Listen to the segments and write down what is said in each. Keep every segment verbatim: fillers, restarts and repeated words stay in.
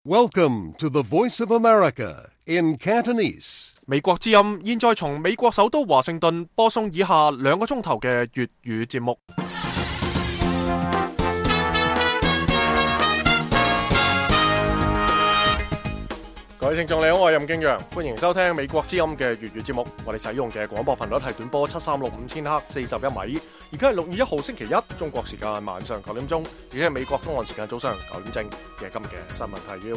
Welcome to the Voice of America in Cantonese. 美國之音現在從美國首都華盛頓播送以下兩個鐘頭嘅粵語節目。各位聽眾你好，我係任敬陽，歡迎收聽美國之音嘅粵語節目。我哋使用嘅廣播頻率係短波七三六五千赫四十一米。而家係六月一號星期一，中國時間晚上九點鐘，而家係美國東岸時間早上九點正嘅今日嘅新聞提要。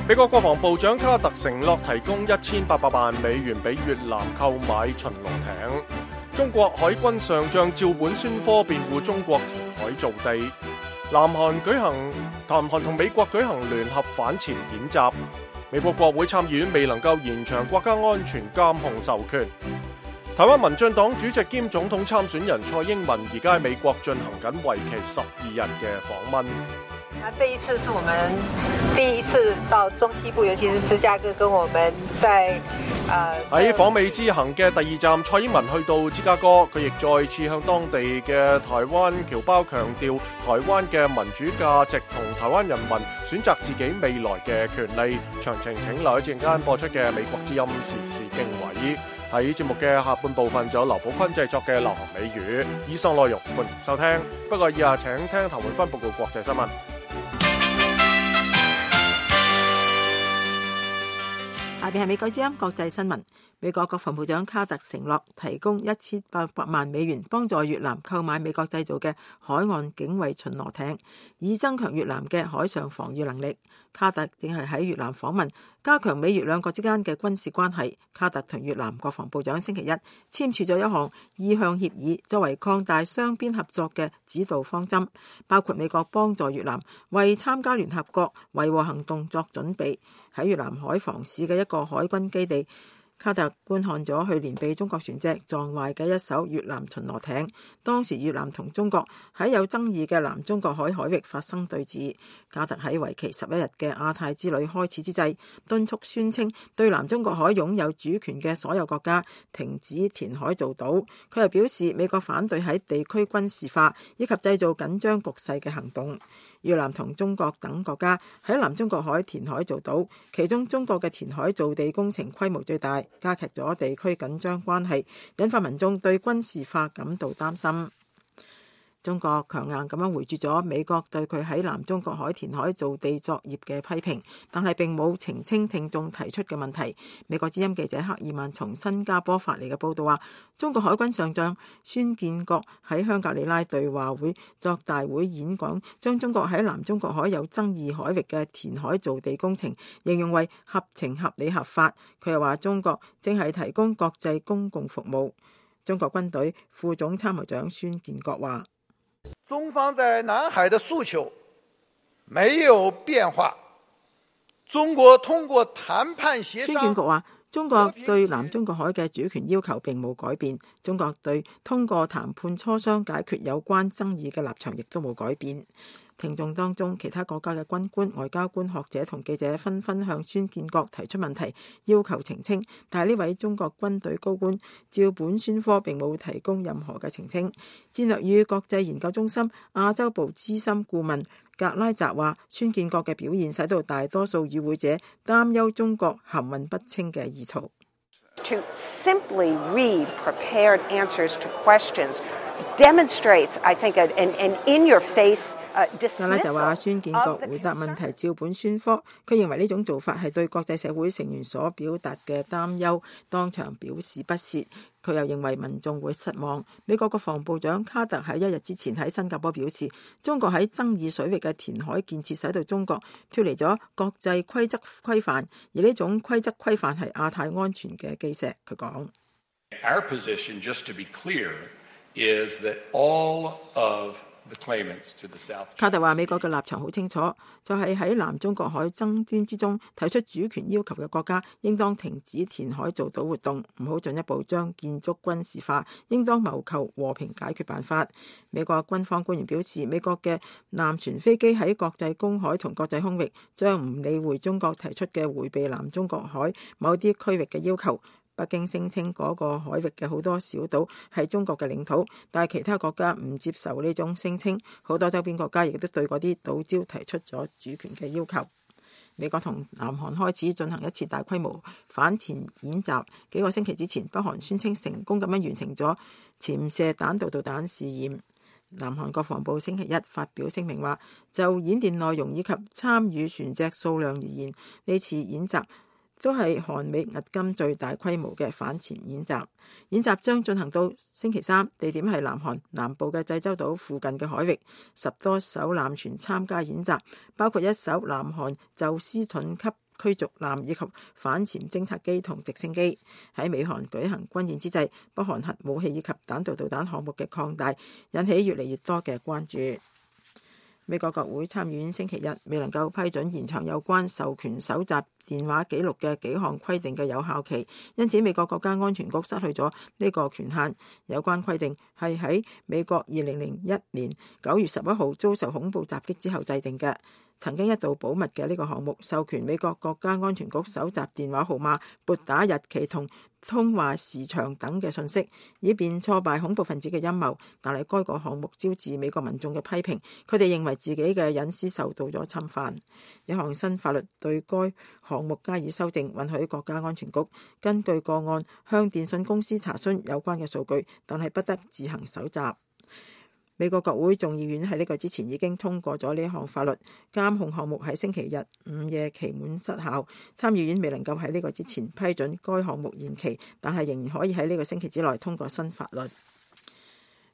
美國國防部長卡特承諾提供一千八百萬美元俾越南購買巡邏艇。中國海軍上將趙本孫科辯護中國填海造地。南韓舉行，南韓同美國舉行聯合反潛演習。美國國會參議院未能夠延長國家安全監控授權。台灣民進黨主席兼總統參選人蔡英文而家喺美國進行緊為期十二日嘅訪問。那這一次是我們第一次到中西部，尤其是芝加哥，跟我們在喺訪美之行嘅第二站，蔡英文去到芝加哥，佢亦再次向當地嘅台灣僑胞強調台灣嘅民主價值同台灣人民選擇自己未來嘅權利。詳情請留喺陣間播出嘅美國之音時事經緯。喺節目嘅下半部分，就有劉寶坤製作嘅流行美語。以上內容歡迎收聽。不過以下請聽譚永芬報告國際新聞。下邊係美國之音國際新聞。美國國防部長卡特承諾提供一千八百萬美元幫助越南購買美國製造嘅海岸警衛巡邏艇，以增強越南嘅海上防禦能力。卡特正係喺越南訪問，加強美越兩國之間嘅軍事關係。卡特同越南國防部長星期一簽署咗一項意向協議，作為擴大雙邊合作嘅指導方針，包括美國幫助越南為參加聯合國維和行動作準備。喺越南海防市嘅一個海軍基地，卡特觀看咗去年被中國船隻撞壞嘅一艘越南巡邏艇。當時越南同中國喺有爭議嘅南中國海海域發生對峙。卡特喺為期十一日嘅亞太之旅開始之際，敦促宣稱對南中國海擁有主權嘅所有國家停止填海造島。佢又表示美國反對喺地區軍事化以及製造緊張局勢嘅行動。越南同中國等國家喺南中國海填海造島，其中中國嘅填海造地工程規模最大，加劇咗地區緊張關係，引發民眾對軍事化感到擔心。中國強硬咁樣回絕咗美國對佢喺南中國海填海造地作業嘅批評，但係並冇澄清聽眾提出嘅問題。美國之音記者克爾曼從新加坡發嚟嘅報道話，中國海軍上將孫建國喺香格里拉對話會作大會演講，將中國喺南中國海有爭議海域嘅填海造地工程形容為合情合理合法。佢又話中國正係提供國際公共服務。中國軍隊副總參謀長孫建國話，中方在南海的訴求沒有變化，中國通過談判協商。孫建國話，中國對南中國海嘅主權要求並冇改變，中國對通過談判磋商解決有關爭議嘅立場亦都冇改變。聽眾當中，其他國家嘅軍官、外交官、學者同記者紛紛向孫建國提出問題，要求澄清。但係呢位中國軍隊高官趙本孫科並冇提供任何嘅澄清。戰略與國際研究中心亞洲部資深顧問格拉澤話，孫建國嘅表現使到大多數與會者擔憂中國含混不清嘅意圖。To simply read prepared answers to questions demonstrates, I think, an, an in-your-face uh, dismissal. 格拉就話孫建國回答問題照本宣科，佢認為呢種做法係對國際社會成員所表達嘅擔憂，當場表示不屑。佢又認為民眾會失望。美國國防部長卡特喺一日之前喺新加坡表示，中國喺爭議水域嘅填海建設使到中國脫離咗國際規則規範，而呢種規則規範係亞太安全嘅基石。佢講：Our position, just to be clear, is that all of the claimants to the South. 卡特話：美國嘅立場好清楚，就係喺南中國海爭端之中提出主權要求嘅國家，應當停止填海造島活動，唔好進一步將建築軍事化，應當謀求和平解決辦法。美國軍方官員表示，美國嘅艦船飛機喺國際公海同國際空域將唔理會中國提出嘅迴避南中國海某啲區域嘅要求，北京聲稱嗰個海域嘅好多小島係中國嘅領土，但係其他國家唔接受呢種聲稱，好多周邊國家亦都對嗰啲島礁提出咗主權嘅要求。美國同南韓開始進行一次大規模反潛演習，幾個星期之前，北韓宣稱成功咁樣完成咗潛射彈道導彈試驗。南韓國防部星期一發表聲明話，就演練內容以及參與船隻數量而言，呢次演習都係韓美迄今最大規模嘅反潛演習。演習將進行到星期三，地點係南韓南部嘅濟州島附近嘅海域，十多艘艦船參加演習，包括一艘南韓宙斯盾級驅逐艦以及反潛偵察機同直升機。喺美韓舉行軍演之際，北韓核武器以及彈道導彈項目嘅擴大，引起越嚟越多嘅關注。美國國會參議院星期日未能夠批准延長有關授權搜集電話記錄嘅幾項規定嘅有效期，因此美國國家安全局失去咗呢個權限。有關規定係喺美國二零零一年九月十一號遭受恐怖襲擊之後制定嘅。曾經一度保密嘅呢個項目，授權美國國家安全局搜集電話號碼、撥打日期同通話時長等嘅信息，以便挫敗恐怖分子嘅陰謀。但係該個項目招致美國民眾嘅批評，佢哋認為自己嘅隱私受到咗侵犯。一項新法律對該項目加以修正，允許國家安全局根據個案向電信公司查詢有關嘅數據，但係不得自行搜集。美國國會眾議院喺呢個之前已經通過咗呢項法律，監控項目喺星期日午夜期滿失效。參議院未能夠喺呢個之前批准該項目延期，但係仍然可以喺呢個星期之內通過新法律。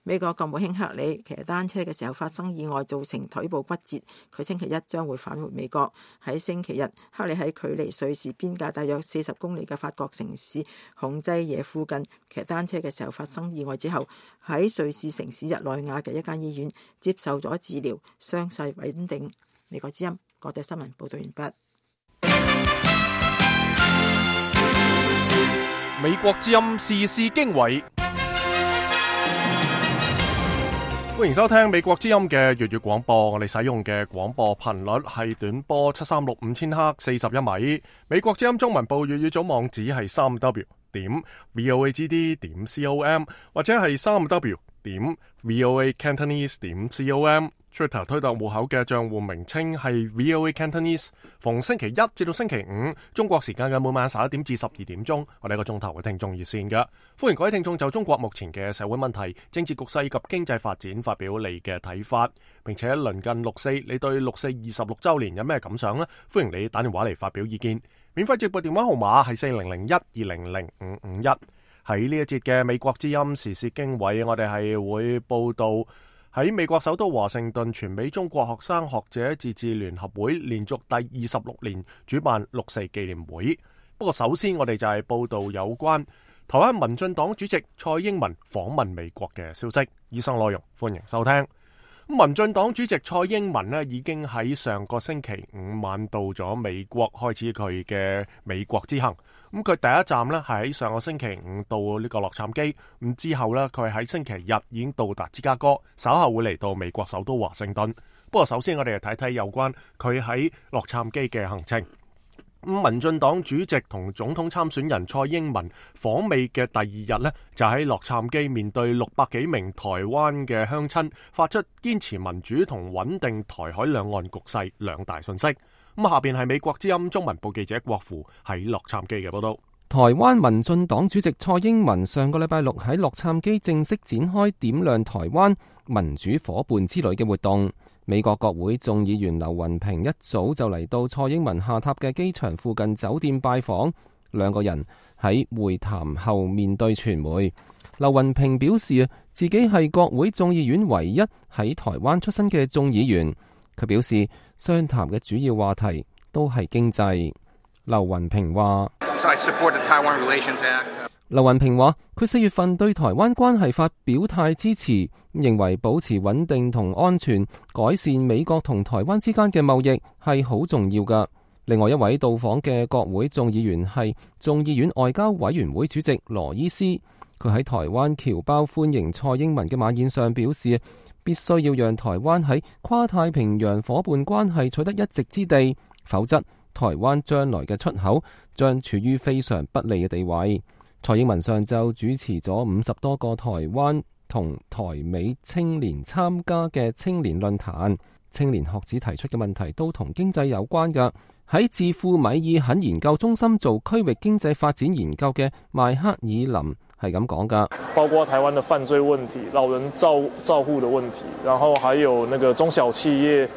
美國國務卿克里騎單車嘅時候發生意外，造成腿部骨折。佢星期一將會返回美國。喺星期日，克里喺距離瑞士邊界大約四十公里嘅法國城市孔濟耶附近騎單車嘅時候發生意外之後，喺瑞士城市日內瓦嘅一間醫院接受咗治療，傷勢穩定。美國之音國際新聞報道完畢。美國之音時事經緯。歡迎收聽美國之音嘅粵語廣播，我哋使用嘅廣播頻率係短波七三六五千赫四十一米。美國之音中文部粵語組網址係三 w 點 voagd 點 com 或者係三 w 點 voacantonese 點 com。Twitter 推特戶口嘅賬戶名稱係 VOA Cantonese。逢星期一至到星期五中國時間嘅每晚十一點至十二點鐘，我哋一個鐘頭嘅聽眾熱線嘅，歡迎各位聽眾就中國目前嘅社會問題、政治局勢及經濟發展發表你嘅睇法，並且鄰近六四，你對六四二十六週年有咩感想呢？歡迎你打電話嚟發表意見。免費直播電話號碼係四零零一二零零五五一。喺呢一節嘅美國之音時事經緯，我哋係會報道喺美國首都華盛頓，全美中國學生學者自治聯合會連續第二十六年主辦六四紀念會。不過首先我哋就係報道有關台灣民進黨主席蔡英文訪問美國嘅消息。以上內容歡迎收聽。民進黨主席蔡英文呢已經喺上個星期五晚到咗美國，開始佢嘅美國之行。咁佢第一站呢係喺上個星期五到呢個洛杉磯，咁之後呢，佢喺星期日已經到達芝加哥，稍後會嚟到美國首都華盛頓。不過首先我哋嚟睇睇有關佢喺洛杉磯嘅行程。咁民進黨主席同總統參選人蔡英文訪美嘅第二日呢，就喺洛杉磯面對六百幾名台灣嘅鄉親，發出堅持民主同穩定台海兩岸局勢兩大訊息。咁下邊係美國之音中文部記者郭富喺洛杉磯嘅報道。台灣民進黨主席蔡英文上個禮拜六喺洛杉磯正式展開點亮台灣民主夥伴之旅嘅活動。美國國會眾議員劉雲平一早就嚟到蔡英文下榻嘅機場附近酒店拜訪，兩個人喺會談後面對傳媒。劉雲平表示自己係國會眾議院唯一喺台灣出身嘅眾議員。佢表示商談嘅主要話題都係經濟。劉雲平話，So I support the Taiwan Relations Act. 劉雲平話佢四月份對台灣關係法表態支持，認為保持穩定同安全，改善美國同台灣之間嘅貿易係好重要㗎。另外一位到訪嘅國會眾議員係眾議院外交委員會主席羅伊斯，佢喺台灣僑胞歡迎蔡英文嘅晚宴上表示，必須要讓台灣喺跨太平洋夥伴關係取得一席之地，否則台灣將來嘅出口將處於非常不利嘅地位。蔡英文上晝主持咗五十多個台灣同台美青年參加嘅青年論壇，青年學子提出嘅問題都同經濟有關㗎。喺智庫米爾肯研究中心做區域經濟發展研究嘅邁克爾林係咁講㗎，包括台灣的犯罪問題、老人照照護的問題，然後還有那個中小企業，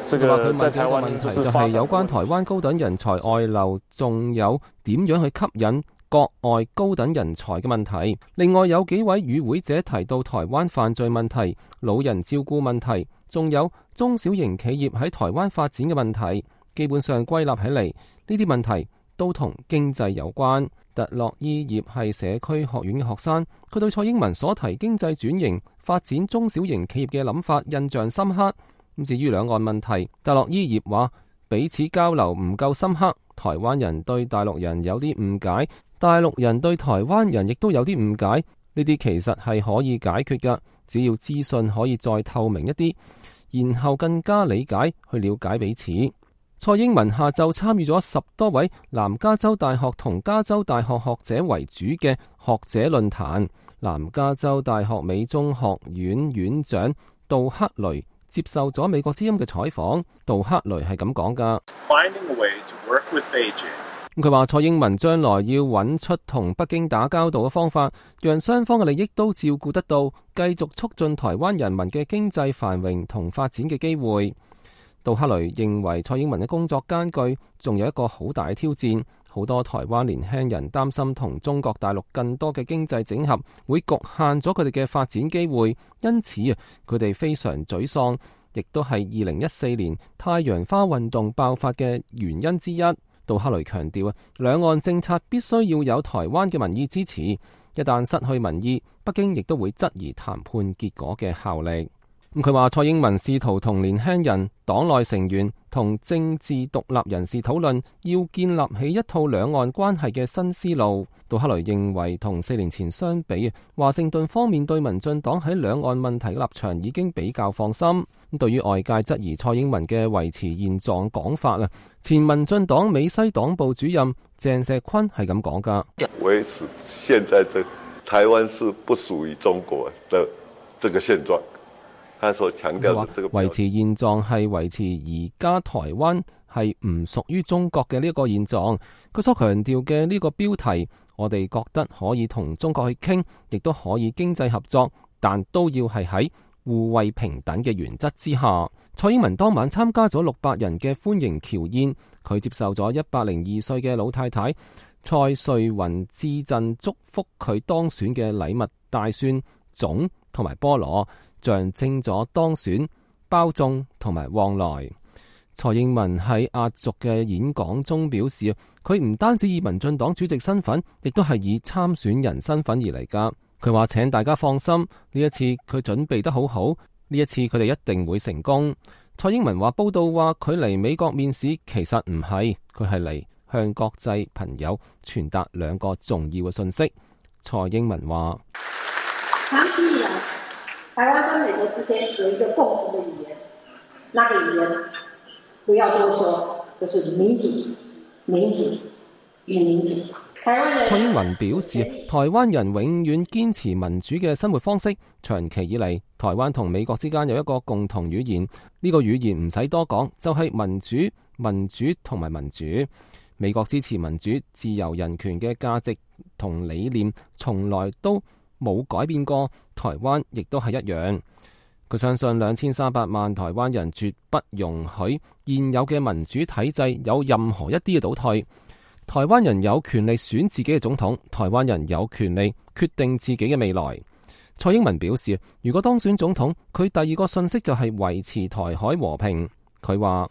這個在台灣就是發展問題。就係有關台灣高等人才外流，仲有點樣去吸引國外高等人才嘅問題。另外有幾位與會者提到台灣犯罪問題、老人照顧問題，仲有中小型企業喺台灣發展嘅問題。基本上歸納起嚟，呢啲問題都同經濟有關。特洛伊葉係社區學院嘅學生，佢對蔡英文所提經濟轉型、發展中小型企業嘅諗法印象深刻。咁至於兩岸問題，特洛伊葉話彼此交流唔夠深刻，台灣人對大陸人有啲誤解，大陸人對台灣人亦都有啲誤解。呢啲其實係可以解決㗎，只要資訊可以再透明一啲，然後更加理解去了解彼此。蔡英文下晝參與咗十多位南加州大學同加州大學學者為主嘅學者論壇。南加州大學美中學院院長杜克雷接受咗美國之音嘅採訪。杜克雷係咁講㗎。佢話蔡英文將來要揾出同北京打交道嘅方法，讓雙方嘅利益都照顧得到，繼續促進台灣人民嘅經濟繁榮同發展嘅機會。杜克雷認為蔡英文嘅工作艱巨，仲有一個好大嘅挑戰。好多台灣年輕人擔心同中國大陸更多嘅經濟整合會局限咗佢哋嘅發展機會，因此啊，佢哋非常沮喪，亦都係二零一四年太陽花運動爆發嘅原因之一。杜克雷強調啊，兩岸政策必須要有台灣嘅民意支持，一旦失去民意，北京亦都會質疑談判結果嘅效力。咁佢話蔡英文試圖同年輕人、黨內成員同政治獨立人士討論，要建立起一套兩岸關係嘅新思路。杜克雷認為同四年前相比，華盛頓方面對民進黨喺兩岸問題嘅立場已經比較放心。咁對於外界質疑蔡英文嘅維持現狀講法啊，前民進黨美西黨部主任鄭石坤係咁講㗎。維持現在這台灣是不屬於中國的這個現狀。他所強調嘅這個維持現狀係維持而家台灣係唔屬於中國嘅呢一個現狀。佢所強調嘅呢個標題，我哋覺得可以同中國去傾，亦都可以經濟合作，但都要係喺互惠平等嘅原則之下。蔡英文當晚參加咗六百人嘅歡迎僑宴，佢接受咗一百零二歲嘅老太太蔡瑞雲致贈祝福佢當選嘅禮物，大蒜、粽同埋菠蘿，象徵咗當選、包粽同埋旺來。蔡英文喺壓軸嘅演講中表示，佢唔單止以民進黨主席身份，亦都係以參選人身份而嚟㗎。佢話請大家放心，呢一次佢準備得好好，呢一次佢哋一定會成功。蔡英文話報道話佢嚟美國面試，其實唔係，佢係嚟向國際朋友傳達兩個重要嘅信息。蔡英文話：台灣跟美國之間有一個共同的語言，那個語言不要多說，就是民主、民主與民主。蔡英文表示，台灣人永遠堅持民主嘅生活方式。長期以嚟，台灣同美國之間有一個共同語言，呢個語言唔使多講，就係民主、民主同埋民主。美國支持民主、自由、人權嘅價值同理念，從來都冇改變過，台灣亦都係一樣。佢相信兩千三百萬台灣人絕不容許現有嘅民主體制有任何一啲嘅倒退。台灣人有權利選自己嘅總統，台灣人有權利決定自己嘅未來。蔡英文表示，如果當選總統，佢第二個信息就係維持台海和平。佢話：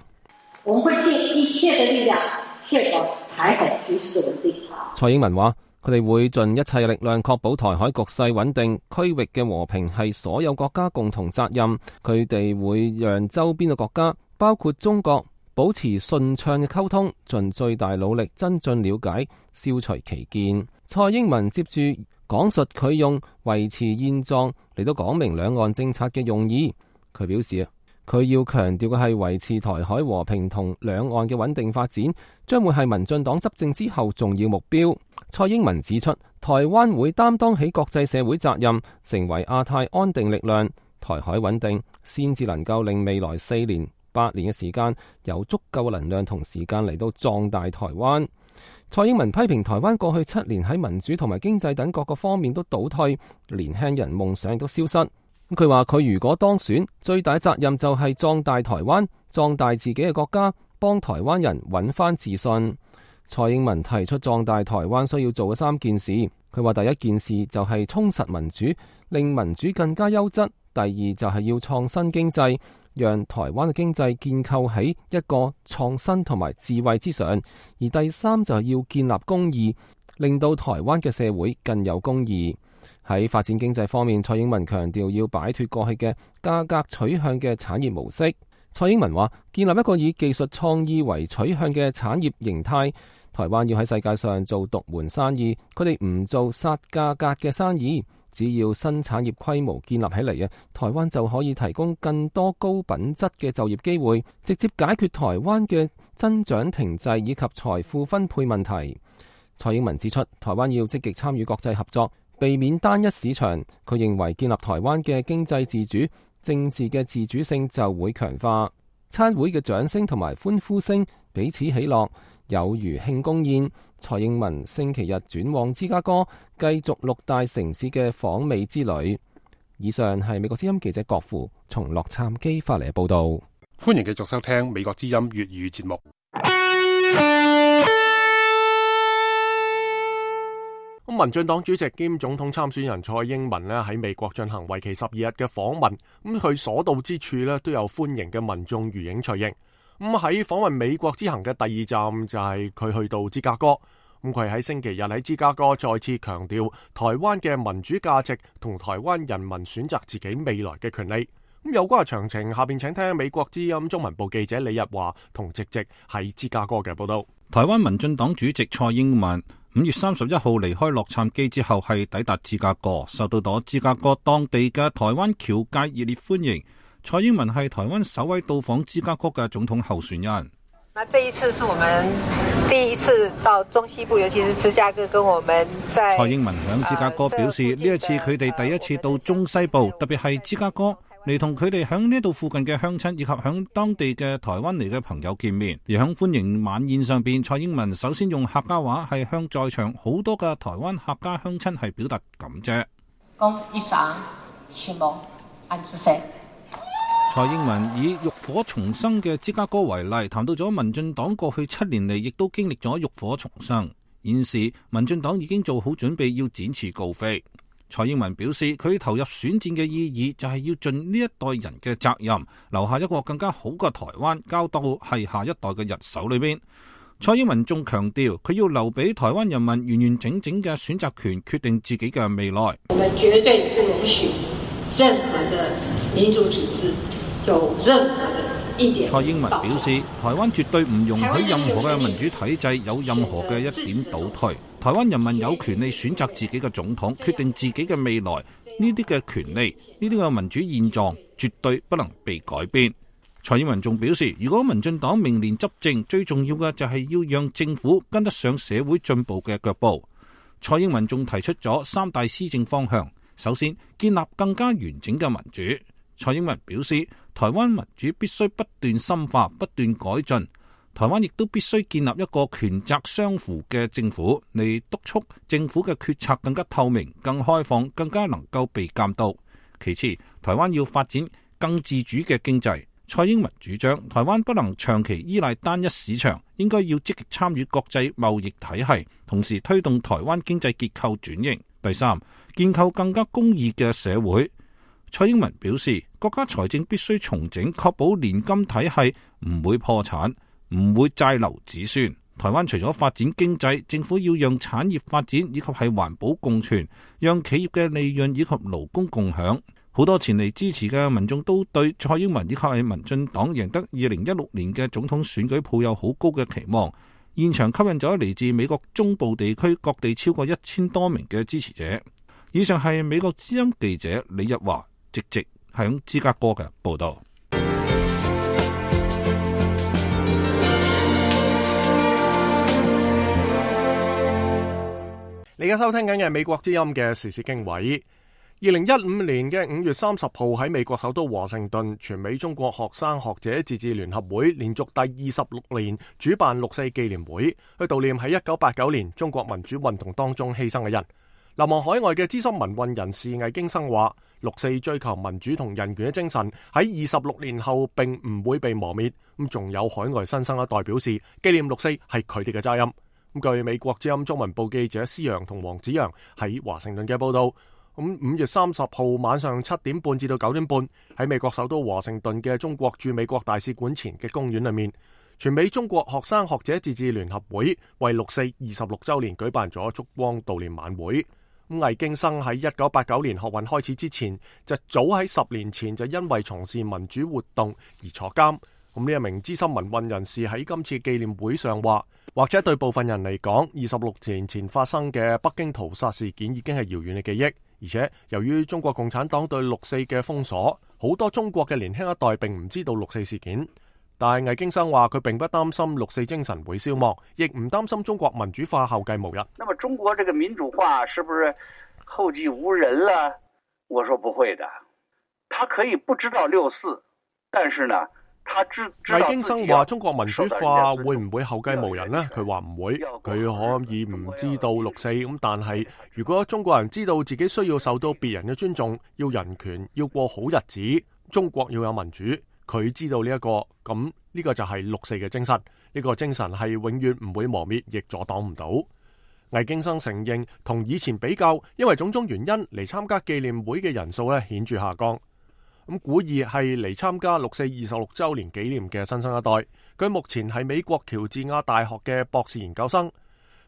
我們會盡一切嘅力量確保台海局勢穩定。蔡英文話：佢哋會盡一切力量確保台海局勢穩定，區域嘅和平係所有國家共同責任。佢哋會讓周邊嘅國家，包括中國，保持順暢嘅溝通，盡最大努力增進了解，消除歧見。蔡英文接住講述佢用維持現狀嚟到講明兩岸政策嘅用意。佢表示，佢要強調嘅係維持台海和平同兩岸嘅穩定發展，將會係民進黨執政之後重要目標。蔡英文指出，台灣會擔當起國際社會責任，成為亞太安定力量，台海穩定，先至能夠令未來四年、八年嘅時間有足夠嘅能量同時間嚟到壯大台灣。蔡英文批評台灣過去七年喺民主同埋經濟等各個方面都倒退，年輕人夢想亦都消失。佢話佢如果當選，最大責任就係壯大台灣，壯大自己嘅國家，幫台灣人揾翻自信。蔡英文提出壯大台灣需要做嘅三件事，佢話第一件事就係充實民主，令民主更加優質；第二就係要創新經濟，讓台灣嘅經濟建構喺一個創新同埋智慧之上；而第三就係要建立公義，令到台灣嘅社會更有公義。喺發展經濟方面，蔡英文強調要擺脫過去嘅價格取向嘅產業模式。蔡英文話建立一個以技術創意為取向嘅產業形態。台灣要喺世界上做獨門生意，佢哋唔做殺價格嘅生意。只要新產業規模建立起嚟啊，台灣就可以提供更多高品質嘅就業機會，直接解決台灣嘅增長停滯以及財富分配問題。蔡英文指出，台灣要積極參與國際合作，避免單一市場。佢認為建立台灣嘅經濟自主、政治嘅自主性就會強化。餐會嘅掌聲同埋歡呼聲彼此喜樂，有如慶功宴。蔡英文星期日轉往芝加哥，繼續六大城市嘅訪美之旅。以上係美國之音記者郭富從洛杉磯發嚟嘅報道。歡迎繼續收聽美國之音粵語節目。咁民進黨主席兼總統參選人蔡英文咧喺美國進行為期十二日嘅訪問，咁佢所到之處咧都有歡迎嘅民眾如影隨形。咁喺訪問美國之行嘅第二站就係佢去到芝加哥，咁佢喺星期日喺芝加哥再次強調台灣嘅民主價值同台灣人民選擇自己未來嘅權利。咁有關嘅詳情，下邊請聽美國之音中文部記者李日華同直直喺芝加哥嘅報道。台灣民進黨主席蔡英文五月三十一號離開洛杉磯之後，係抵達芝加哥，受到咗芝加哥當地嘅台灣僑界熱烈歡迎。蔡英文係台灣首位到訪芝加哥嘅總統候選人。那這一次是我們第一次到中西部，尤其是芝加哥，跟我們在蔡英文響芝加哥表示，呢、呃、一次佢哋第一次到中西部，特別係芝加哥，嚟同佢哋響呢度附近嘅鄉親以及響當地嘅台灣嚟嘅朋友見面。而響歡迎晚宴上邊，蔡英文首先用客家話係向在場好多嘅台灣客家鄉親係表達感謝。恭一生希望安之社。蔡英文以浴火重生嘅芝加哥為例，談到咗民進黨過去七年嚟亦都經歷咗浴火重生。現時民進黨已經做好準備要展翅高飛。蔡英文表示，佢投入選戰嘅意義就係要盡呢一代人嘅責任，留下一個更加好嘅台灣，交到係下一代嘅人手裏邊。蔡英文仲強調，佢要留俾台灣人民完完整整嘅選擇權，決定自己嘅未來。我們絕對不容許任何的民主體制有任何的一點。蔡英文表示，台灣絕對唔容許任何嘅民主體制有任何嘅一點倒退。台灣人民有權利選擇自己嘅總統，決定自己嘅未來。呢啲嘅權利，呢啲嘅民主現狀，絕對不能被改變。蔡英文仲表示，如果民進黨明年執政，最重要嘅就係要讓政府跟得上社會進步嘅腳步。蔡英文仲提出咗三大施政方向，首先建立更加完整嘅民主。蔡英文表示，台灣民主必須不斷深化、不斷改進。台灣亦都必須建立一個權責相符嘅政府，嚟督促政府嘅決策更加透明、更開放、更加能夠被監督。其次，台灣要發展更自主嘅經濟。蔡英文主張，台灣不能長期依賴單一市場，應該要積極參與國際貿易體系，同時推動台灣經濟結構轉型。第三，建構更加公義嘅社會。蔡英文表示，國家財政必須重整，確保年金體系唔會破產，唔會債留子孫。台灣除咗發展經濟，政府要讓產業發展以及係環保共存，讓企業嘅利潤以及勞工共享。好多前嚟支持嘅民眾都對蔡英文以及係民進黨贏得二零一六年嘅總統選舉抱有好高嘅期望。現場吸引咗嚟自美國中部地區各地超過一千多名嘅支持者。以上係美國之音記者李日華直直響芝加哥嘅報道。你而家收聽緊嘅美國之音嘅時事經緯。二零一五年嘅五月三十號喺美國首都華盛頓，全美中國學生學者自治聯合會連續第二十六年主辦六四紀念會，去悼念喺一九八九年中國民主運動當中犧牲嘅人。流亡海外嘅資深民運人士魏京生話，六四追求民主同人權嘅精神喺二十六年後並唔會被磨滅。咁仲有海外新生一代表示，紀念六四係佢哋嘅責任。咁據美國之音中文部記者施洋同黃子揚喺華盛頓嘅報道，咁五月三十號晚上七點半至到九點半喺美國首都華盛頓嘅中國駐美國大使館前嘅公園裏面，全美中國學生學者自治聯合會為六四二十六週年舉辦咗燭光悼念晚會。咁魏京生喺一九八九年學運開始之前，就早喺十年前就因為從事民主活動而坐監。咁呢一名資深民運人士喺今次紀念會上話，或者對部分人嚟講，二十六年前發生嘅北京屠殺事件已經係遙遠嘅記憶，而且由於中國共產黨對六四嘅封鎖，好多中國嘅年輕一代並唔知道六四事件。但係魏京生話，佢並不擔心六四精神會消亡，亦唔擔心中國民主化後繼無人。那麼中國這個民主化是不是後繼無人了？我說不會的，他可以不知道六四，但是呢，魏京生話：中國民主化會唔會後繼無人呢？佢話唔會，佢可以唔知道六四咁，但係如果中國人知道自己需要受到別人嘅尊重，要人權，要過好日子，中國要有民主，佢知道呢、這、一個，咁呢個就係六四嘅精神。呢、這個精神係永遠唔會磨滅，亦阻擋唔到。魏京生承認，同以前比較，因為種種原因嚟參加紀念會嘅人數咧顯著下降。咁古意係嚟參加六四二十六週年紀念嘅新生一代，佢目前係美國喬治亞大學嘅博士研究生。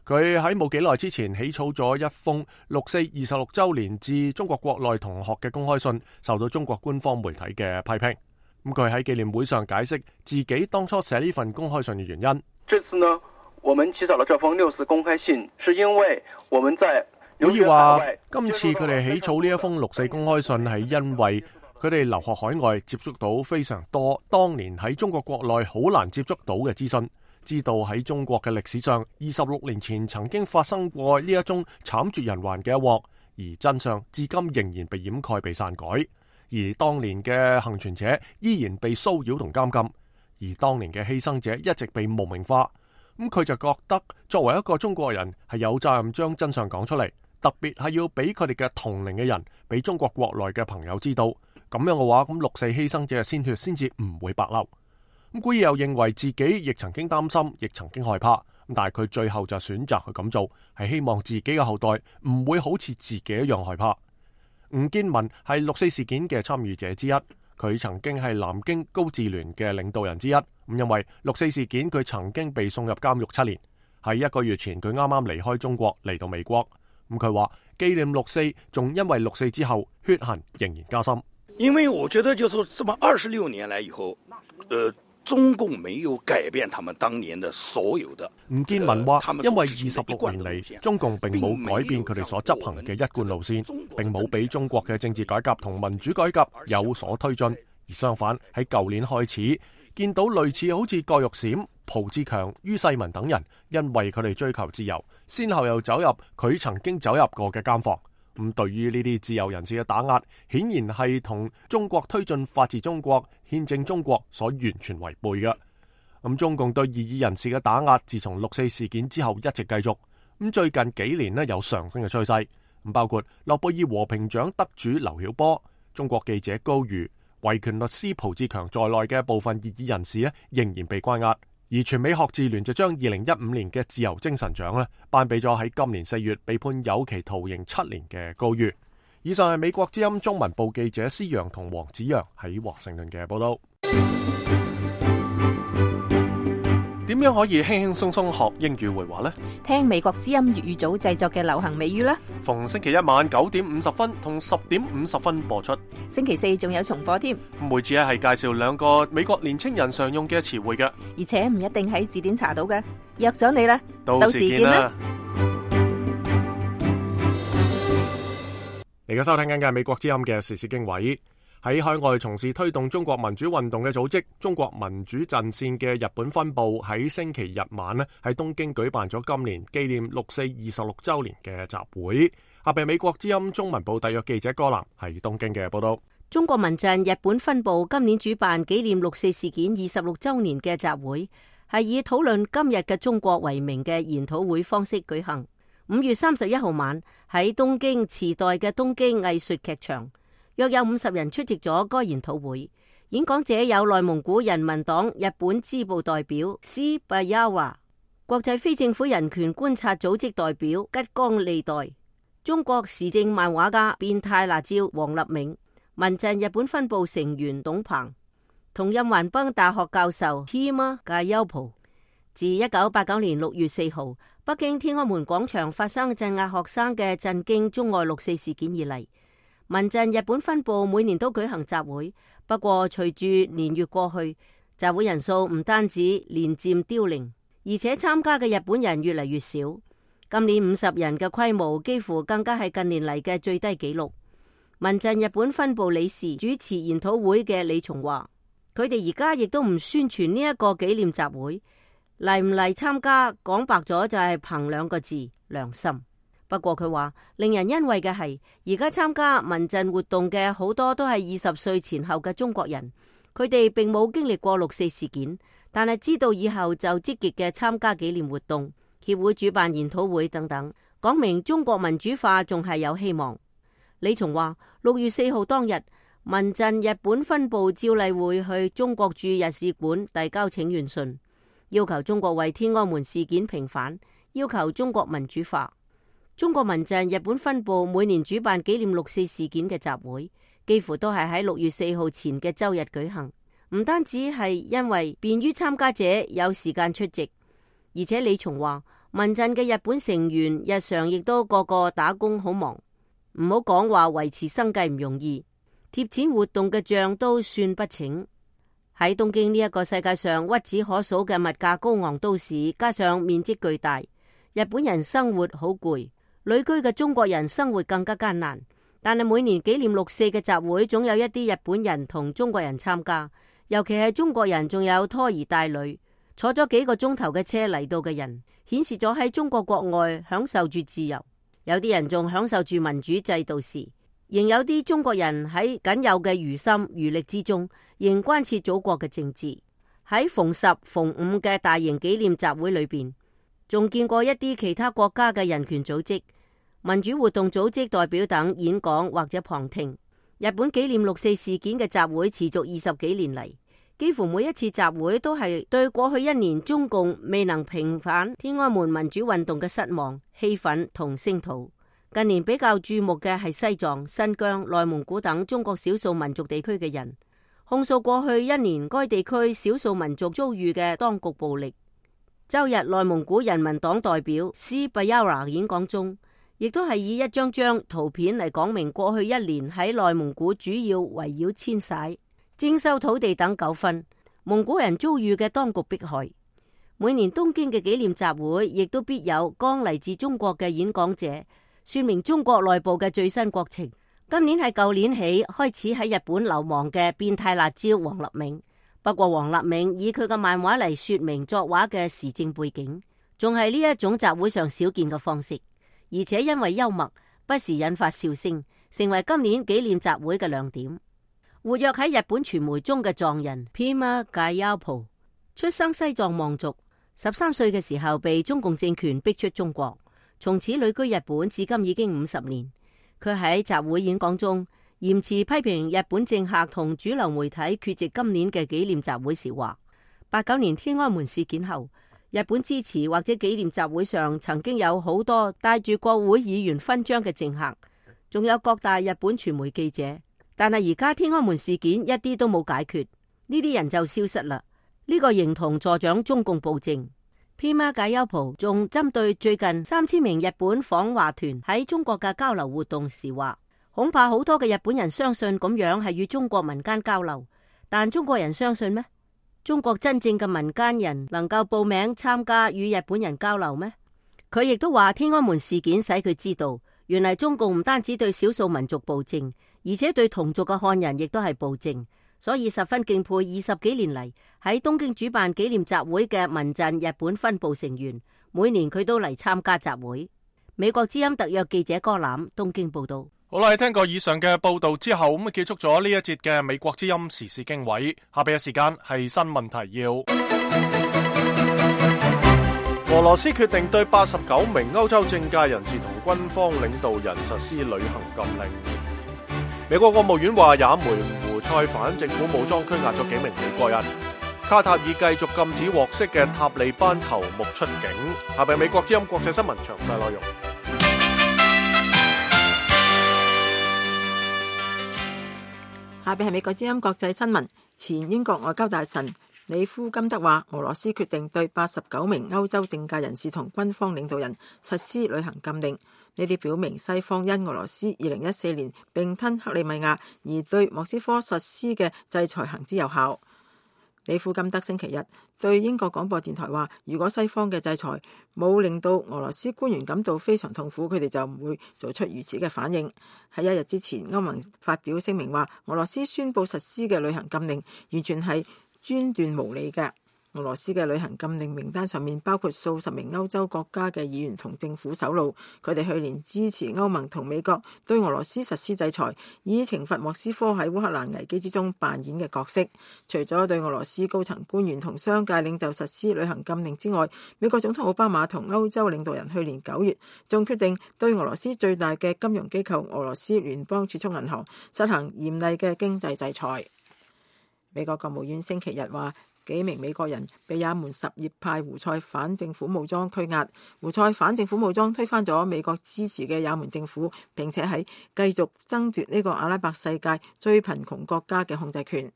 佢喺冇幾耐之前起草咗一封六四二十六週年致中國國內同學嘅公開信，受到中國官方媒體嘅批評。咁佢喺紀念會上解釋自己當初寫呢份公開信嘅原因。這次呢，我們起草了這封六四公開信，是因為我們在可以話今次佢哋起草呢一封六四公開信係因為佢哋留學海外，接觸到非常多當年喺中國國內好難接觸到嘅資訊，知道喺中國嘅歷史上二十六年前曾經發生過呢一宗慘絕人寰嘅一鑊，而真相至今仍然被掩蓋、被篡改，而當年嘅幸存者依然被騷擾同監禁，而當年嘅犧牲者一直被無名化。咁佢就覺得作為一個中國人係有責任將真相講出嚟，特別係要俾佢哋嘅同齡嘅人，俾中國國內嘅朋友知道。咁樣嘅話，咁六四犧牲者嘅鮮血先至唔會白流。咁古爾又認為自己亦曾經擔心，亦曾經害怕，但係佢最後就選擇去咁做，係希望自己嘅後代唔會好似自己一樣害怕。吳建民係六四事件嘅參與者之一，佢曾經係南京高自聯嘅領導人之一。咁因為六四事件，佢曾經被送入監獄七年。喺一個月前，佢啱啱離開中國嚟到美國。咁佢話紀念六四，仲因為六四之後血痕仍然加深。因為我覺得就是這麼二十六年來以後，呃，中共沒有改變他們當年的所有的。吳建民話，因為二十六年嚟，中共並冇改變佢哋所執行嘅一貫路線，並冇俾中國嘅政治改革同民主改革有所推進，而相反喺舊年開始見到類似好似郭玉閃、蒲志強、于世民等人，因為佢哋追求自由，先後又走入佢曾經走入過嘅監房。咁對於呢啲自由人士嘅打壓，顯然係同中國推進法治中國、憲政中國所完全違背嘅。咁中共對異議人士嘅打壓，自從六四事件之後一直繼續。咁最近幾年呢有上升嘅趨勢。咁包括諾貝爾和平獎得主劉曉波、中國記者高瑜、維權律師蒲志強在內嘅部分異議人士呢，仍然被關押。而全美學智聯就將二零一五年嘅自由精神獎呢頒俾咗喺今年四月被判有期徒刑七年嘅高瑜。以上係美國之音中文部記者施洋同黃子揚喺華盛頓嘅報道。點樣可以輕輕鬆鬆學英語會話呢？聽美國之音粵語組製作嘅流行美語啦。逢星期一晚九點五十分同十點五十分播出。星期四仲有重播添。每次咧係介紹兩個美國年青人常用嘅詞彙嘅，而且唔一定喺字典查到嘅。約咗你啦，到時見啦。你而家收聽緊嘅係美國之音嘅時事經緯。喺海外從事推動中國民主運動嘅組織中國民主陣線嘅日本分部喺星期日晚咧喺東京舉辦咗今年紀念六四二十六週年嘅集會。下邊美國之音中文部特約記者歌南喺東京嘅報道。中國民陣日本分部今年主辦紀念六四事件二十六週年嘅集會，係以討論今日嘅中國為名嘅研討會方式舉行。五月三十一號晚喺東京池袋嘅東京藝術劇場，約有五十人出席咗該研討會。演講者有內蒙古人民黨日本支部代表斯巴亞華、國際非政府人權觀察組織代表吉岡利代、中國時政漫畫家變態辣椒王立銘、民陣日本分部成員董鵬同任橫濱大學教授 Hima Gayopo。自一九八九年六月四號北京天安門廣場發生鎮壓學生嘅震驚中外六四事件以嚟，民陣日本分部每年都舉行集會。不過隨住年月過去，集會人數唔單止年漸凋零，而且參加嘅日本人越嚟越少。今年五十人嘅規模幾乎更加係近年嚟嘅最低紀錄。民陣日本分部理事主持研討會嘅李松話，佢哋而家亦都唔宣傳呢一個紀念集會，嚟唔嚟參加，講白咗就係憑兩個字：良心。不過佢話，令人欣慰嘅係，而家參加民陣活動嘅好多都係二十歲前後嘅中國人，佢哋並冇經歷過六四事件，但係知道以後就積極嘅參加紀念活動、協會主辦研討會等等，講明中國民主化仲係有希望。李松話，六月四號當日，民陣日本分部照例會去中國駐日使館遞交請願信，要求中國為天安門事件平反，要求中國民主化。中國民陣日本分部每年主辦紀念六四事件嘅集會，幾乎都係喺六月四號前嘅周日舉行。唔單止係因為便於參加者有時間出席，而且李松話，民陣嘅日本成員日常亦都個個打工好忙，唔好講話維持生計唔容易，貼錢活動嘅賬都算不清。喺東京呢一個世界上屈指可數嘅物價高昂都市，加上面積巨大，日本人生活好攰。旅居嘅中國人生活更加艱難，但係每年紀念六四嘅集會，總有一啲日本人同中國人參加，尤其係中國人，仲有拖兒帶女，坐咗幾個鐘頭嘅車嚟到嘅人，顯示咗喺中國國外享受住自由。有啲人仲享受住民主制度時，仍有啲中國人喺僅有嘅餘心餘力之中，仍關切祖國嘅政治。喺逢十逢五嘅大型紀念集會裏邊，仲見過一啲其他國家嘅人權組織、民主活動組織代表等演講或者旁聽。日本紀念六四事件嘅集會持續二十幾年嚟，幾乎每一次集會都係對過去一年中共未能平反天安門民主運動嘅失望、氣憤同聲討。近年比較注目嘅係西藏、新疆、內蒙古等中國少數民族地區嘅人，控訴過去一年該地區少數民族遭遇嘅當局暴力。周日內蒙古人民黨代表斯巴亞華演講中，亦都係以一張張圖片嚟講明過去一年喺內蒙古主要圍繞遷徙、徵收土地等糾紛，蒙古人遭遇嘅當局迫害。每年東京嘅紀念集會，亦都必有剛嚟自中國嘅演講者，說明中國內部嘅最新國情。今年係舊年起開始喺日本流亡嘅變態辣椒王立銘。不過王立銘以佢嘅漫畫嚟說明作畫嘅時政背景，仲係呢一種集會上少見嘅方式，而且因為幽默，不時引發笑聲，成為今年紀念集會嘅亮點。活躍喺日本傳媒中嘅藏人 Pima Gayapo， 出生西藏望族，十三歲嘅時候被中共政權逼出中國，從此旅居日本，至今已經五十年。佢喺集會演講中嚴詞批評日本政客同主流媒體缺席今年嘅紀念集會時話，八九年天安門事件後，日本支持或者紀念集會上曾經有好多帶住國會議員勳章嘅政客，仲有各大日本傳媒記者。但係而家天安門事件一啲都冇解決，呢啲人就消失啦。呢、這個形同助長中共暴政。Pima Gayapo仲針對最近三千名日本訪華團喺中國嘅交流活動時話，恐怕好多嘅日本人相信咁樣係與中國民間交流，但中國人相信咩？中國真正嘅民間人能夠報名參加與日本人交流咩？佢亦都話天安門事件使佢知道，原來中共唔單止對少數民族暴政，而且對同族嘅漢人亦都係暴政，所以十分敬佩二十幾年嚟喺東京主辦紀念集會嘅民陣日本分部成員，每年佢都嚟參加集會。美國之音特約記者柯攬東京報道。好啦，聽過以上嘅報道之後，咁啊結束咗呢一節嘅美國之音時事經緯。下邊嘅時間係新聞提要。俄羅斯決定對八十九名歐洲政界人士同軍方領導人實施旅行禁令。美國國務院話，也門胡塞反政府武裝拘押咗幾名美國人。卡塔爾繼續禁止獲釋嘅塔利班頭目出境。下邊美國之音國際新聞詳細內容。下邊係美國之音國際新聞。前英國外交大臣里夫金德話，俄羅斯決定對八十九名歐洲政界人士同軍方領導人實施旅行禁令。呢啲表明西方因俄羅斯二零一四年併吞克里米亞而對莫斯科實施嘅制裁行之有效。里夫金德星期日對英國廣播電台話，如果西方嘅制裁冇令到俄羅斯官員感到非常痛苦，佢哋就唔會做出如此嘅反應。喺一日之前，歐盟發表聲明話，俄羅斯宣布實施嘅旅行禁令完全係專斷無理嘅。俄羅斯嘅旅行禁令名單上面包括數十名歐洲國家嘅議員同政府首腦，佢哋去年支持歐盟同美國對俄羅斯實施制裁，以懲罰莫斯科喺烏克蘭危機之中扮演嘅角色。除咗對俄羅斯高層官員同商界領袖實施旅行禁令之外，美國總統奧巴馬同歐洲領導人去年九月仲決定對俄羅斯最大嘅金融機構俄羅斯聯邦儲蓄銀行實行嚴厲嘅經濟制裁。美國國務院星期日話，幾名美國人被也門什葉派胡塞反政府武裝拘押。胡塞反政府武裝推翻咗美國支持嘅也門政府，並且喺繼續爭奪呢個阿拉伯世界最貧窮國家嘅控制權。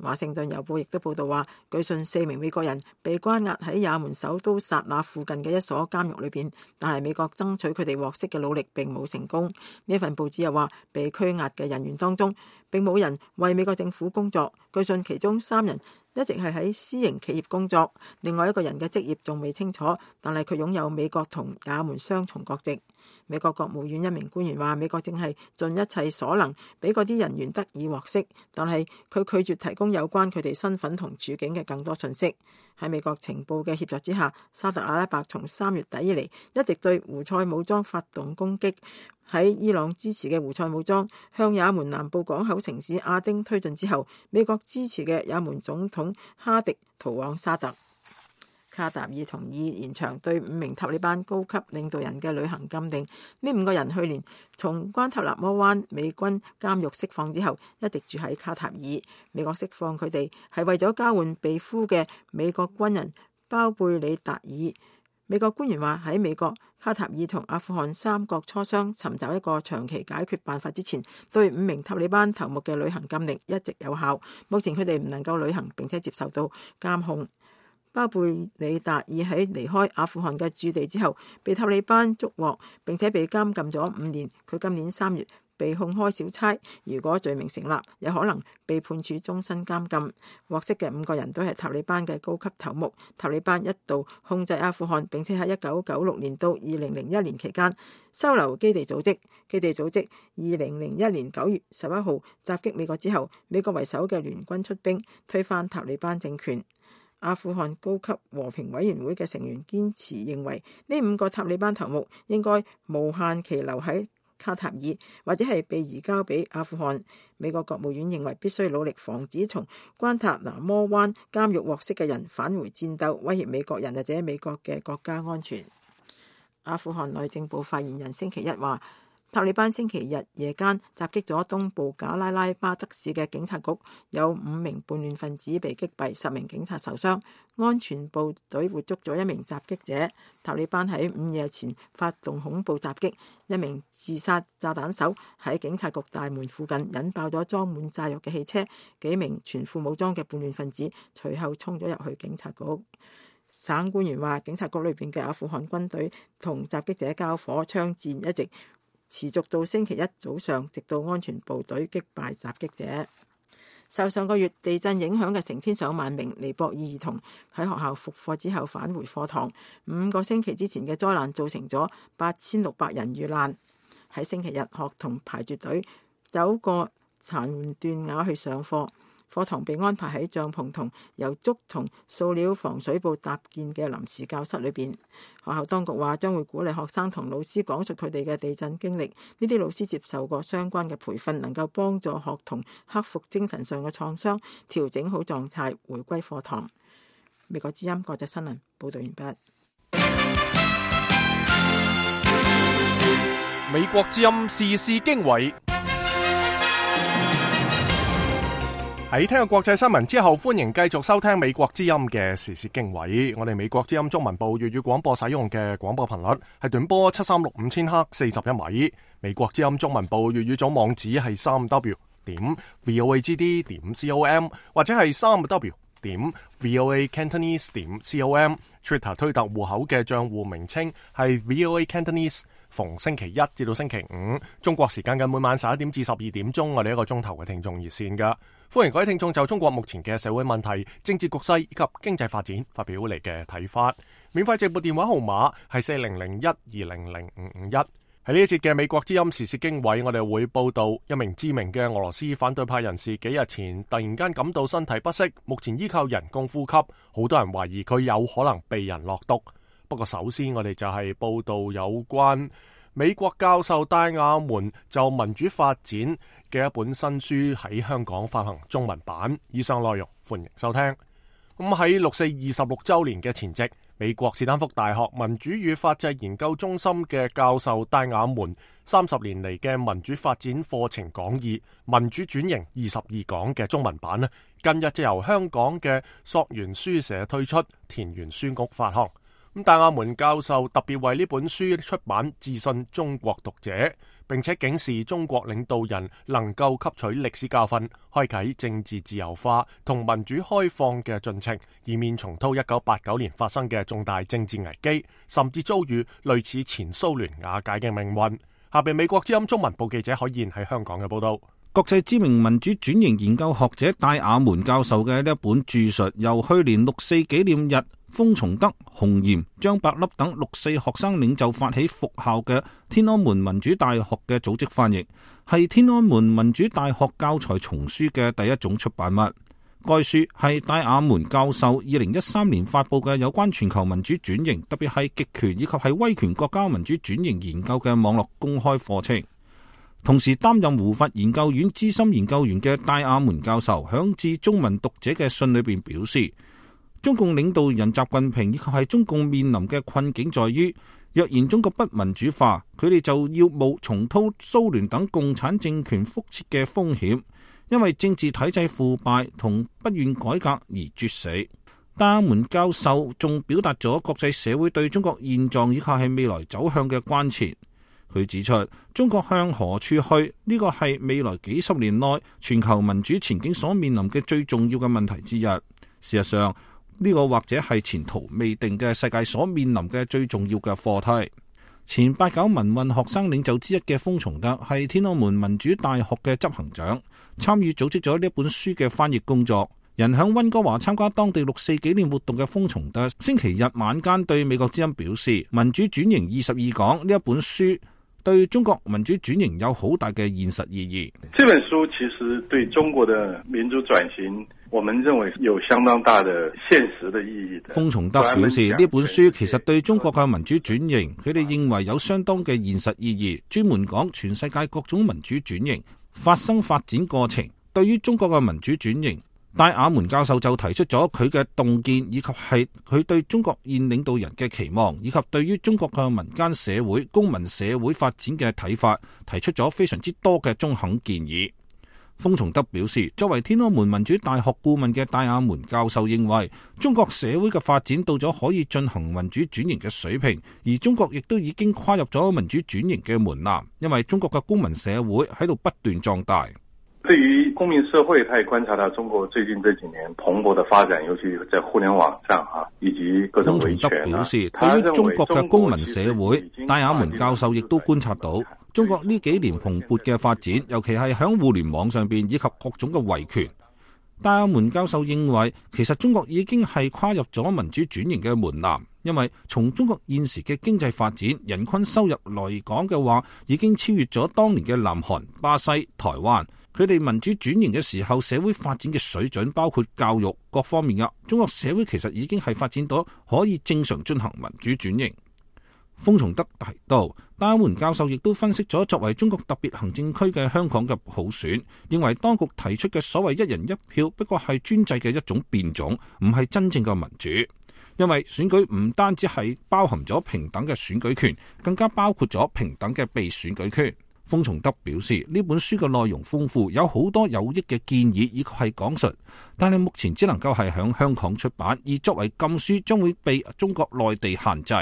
華盛頓郵報亦都報道話，據信四名美國人被關押喺也門首都薩那附近嘅一所監獄裏邊，但係美國爭取佢哋獲釋嘅努力並冇成功。呢份報紙又話，被拘押嘅人員當中並冇人為美國政府工作，據信其中三人一直係喺私營企業工作，另外一個人嘅職業仲未清楚，但係佢擁有美國同也門雙重國籍。美國國務院一名官員話，美國正係盡一切所能俾嗰啲人員得以獲釋，但係佢拒絕提供有關佢哋身份同處境嘅更多信息。喺美國情報嘅協助之下，沙特阿拉伯從三月底以嚟一直對胡塞武裝發動攻擊。喺伊朗支持嘅胡塞武裝向也門南部港口城市亞丁推進之後，美國支持嘅也門總統哈迪逃往沙特。卡塔爾同意延長對五名塔利班高級領導人嘅旅行禁令。呢五個人去年從關塔那摩灣美軍監獄釋放之後，一直住喺卡塔爾。美國釋放佢哋係為咗交換被俘嘅美國軍人包貝里達爾。美國官員話，喺美國、卡塔爾同阿富汗三國磋商尋找一個長期解決辦法之前，對五名塔利班頭目嘅旅行禁令一直有效。目前佢哋唔能夠旅行並且接受到監控。包貝里達爾喺離開阿富汗嘅駐地之後，被塔利班捉獲，並且被監禁咗五年。佢今年三月被控開小差，如果罪名成立，有可能被判處終身監禁。獲釋嘅五個人都係塔利班嘅高級頭目。塔利班一度控制阿富汗，並且喺一九九六年到二零零一年期間收留基地組織。基地組織二零零一年九月十一號襲擊美國之後，美國為首嘅聯軍出兵推翻塔利班政權。阿富汗高級和平委員會嘅成員堅持認為，呢五個塔利班頭目應該無限期留喺卡塔爾，或者係被移交俾阿富汗。美國國務院認為必須努力防止從關塔那摩灣監獄獲釋嘅人返回戰鬥，威脅美國人或者美國嘅國家安全。阿富汗內政部發言人星期一話，塔利班星期日夜間襲擊咗東部賈拉拉巴德市嘅警察局，有五名叛亂分子被擊斃，十名警察受傷。安全部隊活捉咗一名襲擊者。塔利班喺午夜前發動恐怖襲擊，一名自殺炸彈手喺警察局大門附近引爆咗裝滿炸藥嘅汽車，幾名全副武裝嘅叛亂分子隨後衝咗入去警察局。省官員話，警察局裏邊嘅阿富汗軍隊同襲擊者交火，槍戰一直持續到星期一早上，直到安全部隊擊敗襲擊者。受上個月地震影響嘅成千上萬名尼泊爾兒童喺學校復課之後返回課堂。五個星期之前嘅災難造成咗八千六百人遇難。喺星期日，學童排住隊走過殘斷瓦去上課。課堂被安排喺帳篷同由竹同塑料防水布搭建嘅臨時教室裏邊。學校當局話將會鼓勵學生同老師講述佢哋嘅地震經歷。呢啲老師接受過相關嘅培訓，能夠幫助學童克服精神上嘅創傷，調整好狀態，回歸課堂。美國之音國際新聞報道完畢。美國之音時事經緯。喺聽過國際新聞之後，歡迎繼續收聽美國之音嘅時事經緯。我哋美國之音中文部粵語廣播使用嘅廣播頻率係短波七三六五千赫四十一米。美國之音中文部粵語組網址係三 w 點 voagd 點 com 或者係三 w 點 voa cantonese 點 com。Twitter 推特戶口嘅賬戶名稱係 voa cantonese。逢星期一至到星期五，中國時間嘅每晚十一點至十二點鐘，我哋一個鐘頭嘅聽眾熱線噶，歡迎各位聽眾就中國目前嘅社會問題、政治局勢以及經濟發展發表你嘅睇法。免費直撥電話號碼係四零零一二零零五五一。喺呢一節嘅美國之音時事經緯，我哋會報道一名知名嘅俄羅斯反對派人士幾日前突然間感到身體不適，目前依靠人工呼吸，好多人懷疑佢有可能被人落毒。不過首先我哋就係報道有關美國教授戴亞門就民主發展嘅一本新書喺香港發行中文版。以上內容歡迎收聽。咁喺六四二十六週年嘅前夕，美國斯坦福大學民主與法制研究中心嘅教授戴亞門三十年嚟嘅民主發展課程講義《民主轉型二十二講》嘅中文版呢，近日就由香港嘅溯源書社推出，田園書屋發行。咁戴亞門教授特別為呢本書出版致信中國讀者，並且警示中國領導人能夠吸取歷史教訓，開啟政治自由化同民主開放嘅進程，以免重蹈一九八九年發生嘅重大政治危機，甚至遭遇類似前蘇聯瓦解嘅命運。下邊美國之音中文部記者許燕喺香港嘅報道。國際知名民主轉型研究學者戴亞門教授嘅呢一本著述，由去年六四紀念日封從德、洪炎、張伯笠等六四學生領袖發起復校嘅天安門民主大學嘅組織翻譯，係天安門民主大學教材叢書嘅第一種出版物。該書係戴亞門教授二零一三年發佈嘅有關全球民主轉型，特別係極權以及係威權國家民主轉型研究嘅網絡公開課程。同時擔任胡佛研究院資深研究員嘅戴亞門教授響致中文讀者嘅信裏邊表示，中共領導人習近平以及係中共面臨嘅困境在於，若然中國不民主化，佢哋就要冒重蹈蘇聯等共產政權覆轍嘅風險，因為政治體制腐敗同不願改革而猝死。戴亞門教授仲表達咗國際社會對中國現狀以及係未來走向嘅關切。佢指出，中國向何處去，呢個係未來幾十年內全球民主前景所面臨嘅最重要嘅問題之一。事實上，呢個或者係前途未定嘅世界所面臨嘅最重要嘅課題。前八九民運學生領袖之一嘅封從德係天安門民主大學嘅執行長，參與組織咗呢本書嘅翻譯工作。人響溫哥華參加當地六四紀念活動嘅封從德星期日晚間對美國之音表示，民主轉型二十二講呢一本書對中國民主轉型有好大嘅現實意義。這本書其實對中國的民主轉型，我們認為有相當大的現實的意義的。封從德表示，呢本書其實對中國嘅民主轉型，佢哋認為有相當嘅現實意義，專門講全世界各種民主轉型發生發展過程。對於中國嘅民主轉型，戴亞門教授就提出咗佢嘅洞見，以及係佢對中國現領導人嘅期望，以及對於中國嘅民間社會、公民社會發展嘅睇法，提出咗非常之多嘅中肯建議。封從德表示，作為天安門民主大學顧問嘅戴亞門教授認為，中國社會嘅發展到咗可以進行民主轉型嘅水平，而中國亦都已經跨入咗民主轉型嘅門檻，因為中國嘅公民社會喺度不斷壯大。對於公民社會，他也觀察到中國最近這幾年蓬勃的發展，尤其在互聯網上啊，以及各種維權。封從德表示，對於中國嘅公民社會，戴亞門教授亦都觀察到中國呢幾年蓬勃嘅發展，尤其係響互聯網上邊以及各種嘅維權。戴亞門教授認為，其實中國已經係跨入咗民主轉型嘅門檻，因為從中國現時嘅經濟發展、人均收入來講嘅話，已經超越咗當年嘅南韓、巴西、台灣。佢哋民主轉型嘅時候，社會發展嘅水準包括教育各方面嘅，中國社會其實已經係發展到可以正常進行民主轉型。封從德提到，戴亞門教授亦都分析咗作為中國特別行政區嘅香港嘅普選，認為當局提出嘅所謂一人一票不過係專制嘅一種變種，唔係真正嘅民主。因為選舉唔單止係包含咗平等嘅選舉權，更加包括咗平等嘅被選舉權。封從德表示，呢本書嘅內容豐富，有好多有益嘅建議以及係講述，但係目前只能夠係響香港出版，而作為禁書將會被中國內地限制。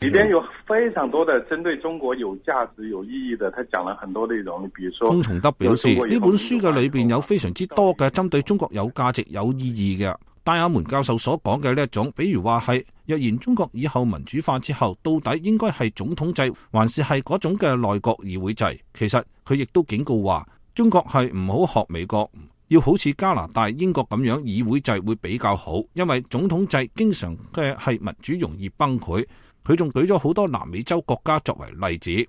裏邊有非常多的針對中國有價值有意義的，他講了很多內容。你比如說，封從德表示，呢本書嘅裏邊有非常之多嘅針對中國有價值有意義嘅。戴亞門教授所講嘅呢一種，比如話係若然中國以後民主化之後，到底應該係總統制，還是係嗰種嘅內閣議會制？其實佢亦都警告話，中國係唔好學美國，要好似加拿大、英國咁樣議會制會比較好，因為總統制經常嘅係民主容易崩潰。佢仲舉咗好多南美洲國家作為例子。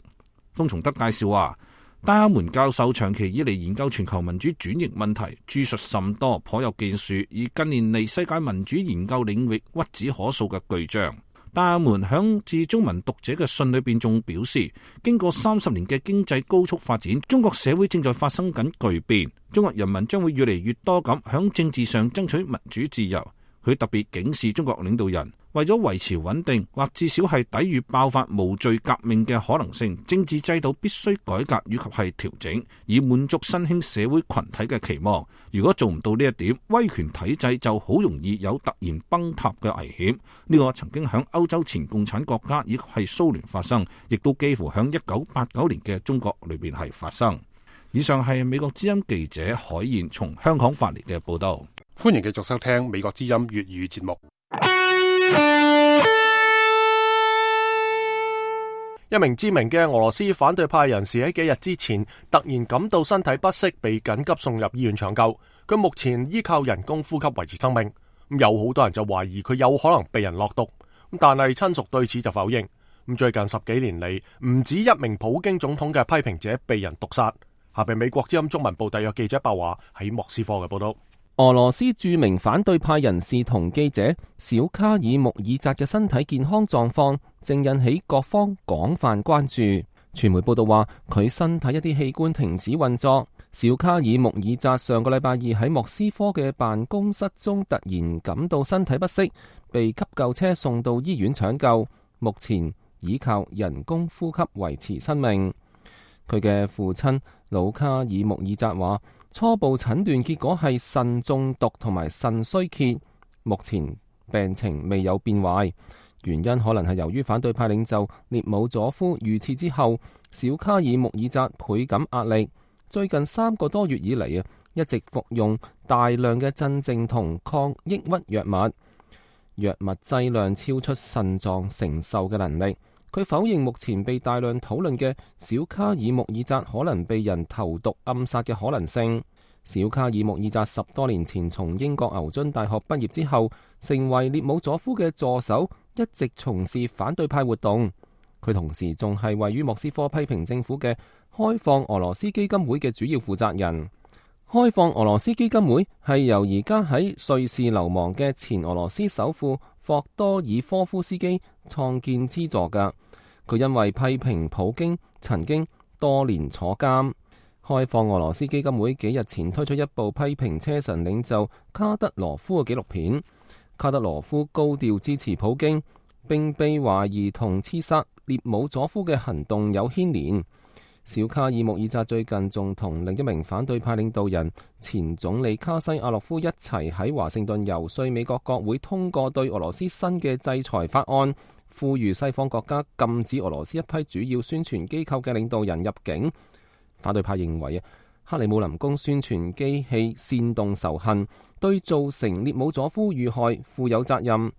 封從德介紹話，戴亞門教授長期以嚟研究全球民主轉型問題，著述甚多，頗有建樹，而近年嚟世界民主研究領域屈指可數嘅巨匠。戴亞門響致中文讀者嘅信裏邊仲表示，經過三十年嘅經濟高速發展，中國社會正在發生緊巨變，中國人民將會越嚟越多咁響政治上爭取民主自由。佢特別警示中國領導人，為咗維持穩定，或至少係抵禦爆發無序革命嘅可能性，政治制度必須改革以及係調整，以滿足新興社會群體嘅期望。如果做唔到呢一點，威權體制就好容易有突然崩塌嘅危險。呢個曾經響歐洲前共產國家以及係蘇聯發生，亦都幾乎響一九八九年嘅中國裏邊係發生。以上係美國之音記者海燕從香港發嚟嘅報道。歡迎繼續收聽美國之音粵語節目。一名知名嘅俄羅斯反對派人士喺幾日之前突然感到身體不適，被緊急送入醫院搶救。佢目前依靠人工呼吸維持生命。咁有好多人就懷疑佢有可能被人落毒，但係親屬對此就否認。咁最近十幾年嚟，唔止一名普京總統嘅批評者被人毒殺。下邊美國之音中文部特約記者白華喺莫斯科嘅報道。俄羅斯著名反對派人士同記者小卡爾穆爾扎嘅身體健康狀況正引起各方廣泛關注。傳媒報道話，佢身體一啲器官停止運作。小卡爾穆爾扎上個禮拜二喺莫斯科嘅辦公室中突然感到身體不適，被急救車送到醫院搶救，目前依靠人工呼吸維持生命。佢嘅父親魯卡爾穆爾扎話，初步診斷結果係腎中毒同埋腎衰竭，目前病情未有變壞，原因可能係由於反對派領袖列姆佐夫遇刺之後，小卡爾穆爾扎倍感壓力，最近三個多月以嚟啊，一直服用大量嘅鎮靜同抗抑鬱藥物，藥物劑量超出腎臟承受嘅能力。佢否認目前被大量討論嘅小卡爾穆爾扎可能被人投毒暗殺嘅可能性。小卡爾穆爾扎十多年前從英國牛津大學畢業之後，成為列姆佐夫嘅助手，一直從事反對派活動。佢同時仲係位於莫斯科批評政府嘅開放俄羅斯基金會嘅主要負責人。開放俄羅斯基金會係由而家喺瑞士流亡嘅前俄羅斯首富霍多爾科夫斯基創建資助㗎。佢因為批評普京，曾經多年坐監。開放俄羅斯基金會幾日前推出一部批評車臣領袖卡德羅夫嘅紀錄片。卡德羅夫高調支持普京，並被懷疑同刺殺列姆佐夫嘅行動有牽連。小卡爾穆爾扎最近仲同另一名反對派領導人前總理卡西亞洛夫一齊喺華盛頓遊說美國國會通過對俄羅斯新嘅制裁法案，呼籲西方國家禁止俄羅斯一批主要宣傳機構嘅領導人入境。反對派認為啊，克里姆林宮宣傳機器煽動仇恨，對造成列姆佐夫遇害負有責任。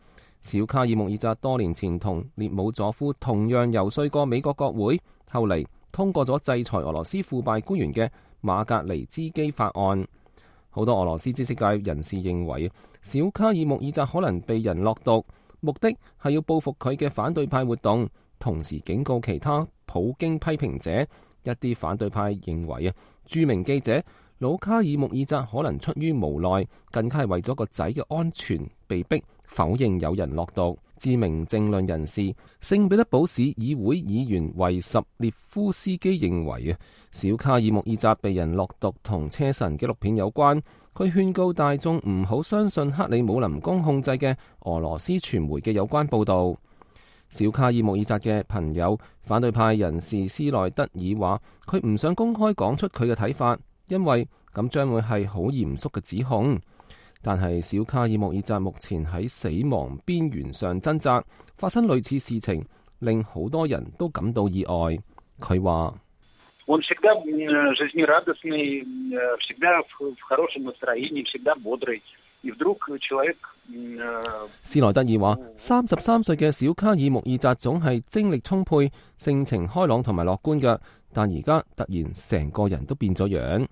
小卡爾穆爾扎多年前同列姆佐夫同樣遊說過美國國會，後嚟通過咗制裁俄羅斯腐敗官員嘅馬格尼茲基法案。好多俄羅斯知識界人士認為，小卡爾穆爾扎可能被人落毒，目的係要報復佢嘅反對派活動，同時警告其他普京批評者。一啲反對派認為啊，著名記者魯卡爾穆爾扎可能出於無奈，更加係為咗個仔嘅安全，被逼否認有人落毒。知名政論人士聖彼得堡市議會議員維什列夫斯基認為啊，小卡爾穆爾扎被人落毒同車臣紀錄片有關。佢勸告大眾唔好相信克里姆林宮控制嘅俄羅斯傳媒嘅有關報導。小卡爾穆爾扎嘅朋友反對派人士斯內德爾話，佢唔想公開講出佢嘅睇法，因為咁將會係好嚴肅嘅指控。但係小卡爾穆爾扎目前喺死亡邊緣上掙扎，發生類似事情令好多人都感到意外。佢話Он всегда жизнерадостный, всегда в хорошем настроении, всегда бодрый. И вдруг человек... 斯內德爾話，三十三歲嘅小卡爾穆爾扎總係精力充沛、性情開朗同埋樂觀嘅，但而家突然成個人都變咗樣。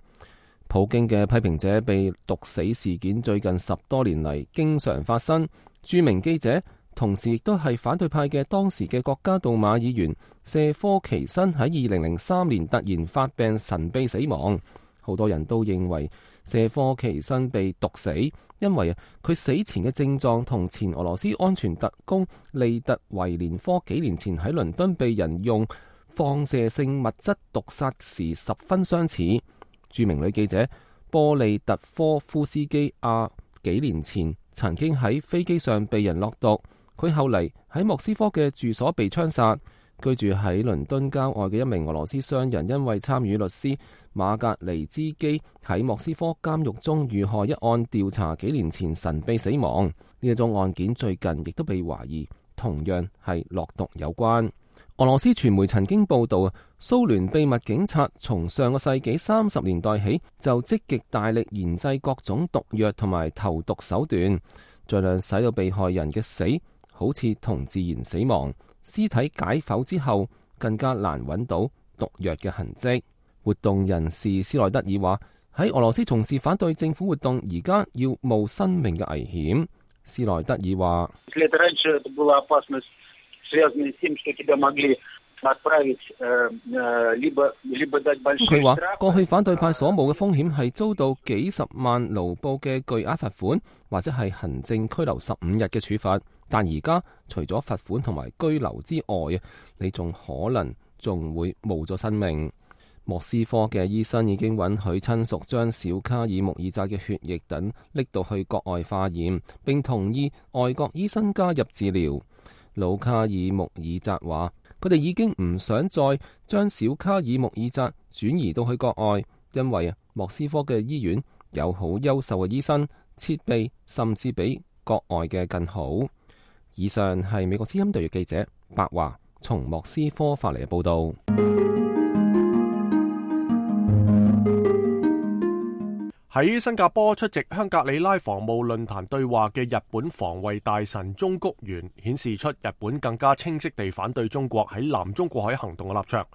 普京嘅批評者被毒死事件最近十多年嚟經常發生。著名記者同時亦都係反對派嘅當時嘅國家杜馬議員謝科奇申喺二零零三年突然發病神秘死亡，好多人都認為謝科奇申被毒死，因為佢死前嘅症狀同前俄羅斯安全特工利特維連科幾年前喺倫敦被人用放射性物質毒殺時十分相似。著名女記者波利特科夫斯基亞幾年前曾經喺飛機上被人落毒。佢後嚟喺莫斯科嘅住所被槍殺。居住喺倫敦郊外嘅一名俄羅斯商人，因為參與律師馬格尼茲基喺莫斯科監獄中遇害一案調查，幾年前神秘死亡。呢一宗案件最近亦都被懷疑同樣係落毒有關。俄羅斯傳媒曾經報道，蘇聯秘密警察從上個世紀三十年代起就積極大力研製各種毒藥同埋投毒手段，盡量使到被害人嘅死好似同自然死亡，屍體解剖之後更加難揾到毒藥嘅痕跡。活動人士斯內德爾話，喺俄羅斯從事反對政府活動而家要冒生命嘅危險。斯內德爾話，佢話過去反對派所冒嘅風險係遭到幾十萬盧布嘅巨額罰款，或者係行政拘留十五日嘅處罰。但而家除咗罰款同埋居留之外啊，你仲可能仲會冇咗生命。莫斯科嘅醫生已經允許親屬將小卡爾穆爾扎嘅血液等拎到去國外化驗，並同意外國醫生加入治療。魯卡爾穆爾扎話，佢哋已經唔想再將小卡爾穆爾扎轉移到去國外，因為啊，莫斯科嘅醫院有好優秀嘅醫生，設備甚至比國外嘅更好。以上係美國之音特約記者白華從莫斯科發嚟嘅報道。喺新加坡出席香格里拉防務論壇對話嘅日本防衛大臣中谷元顯示出日本更加清晰地反對中國喺南中國海行動嘅立場。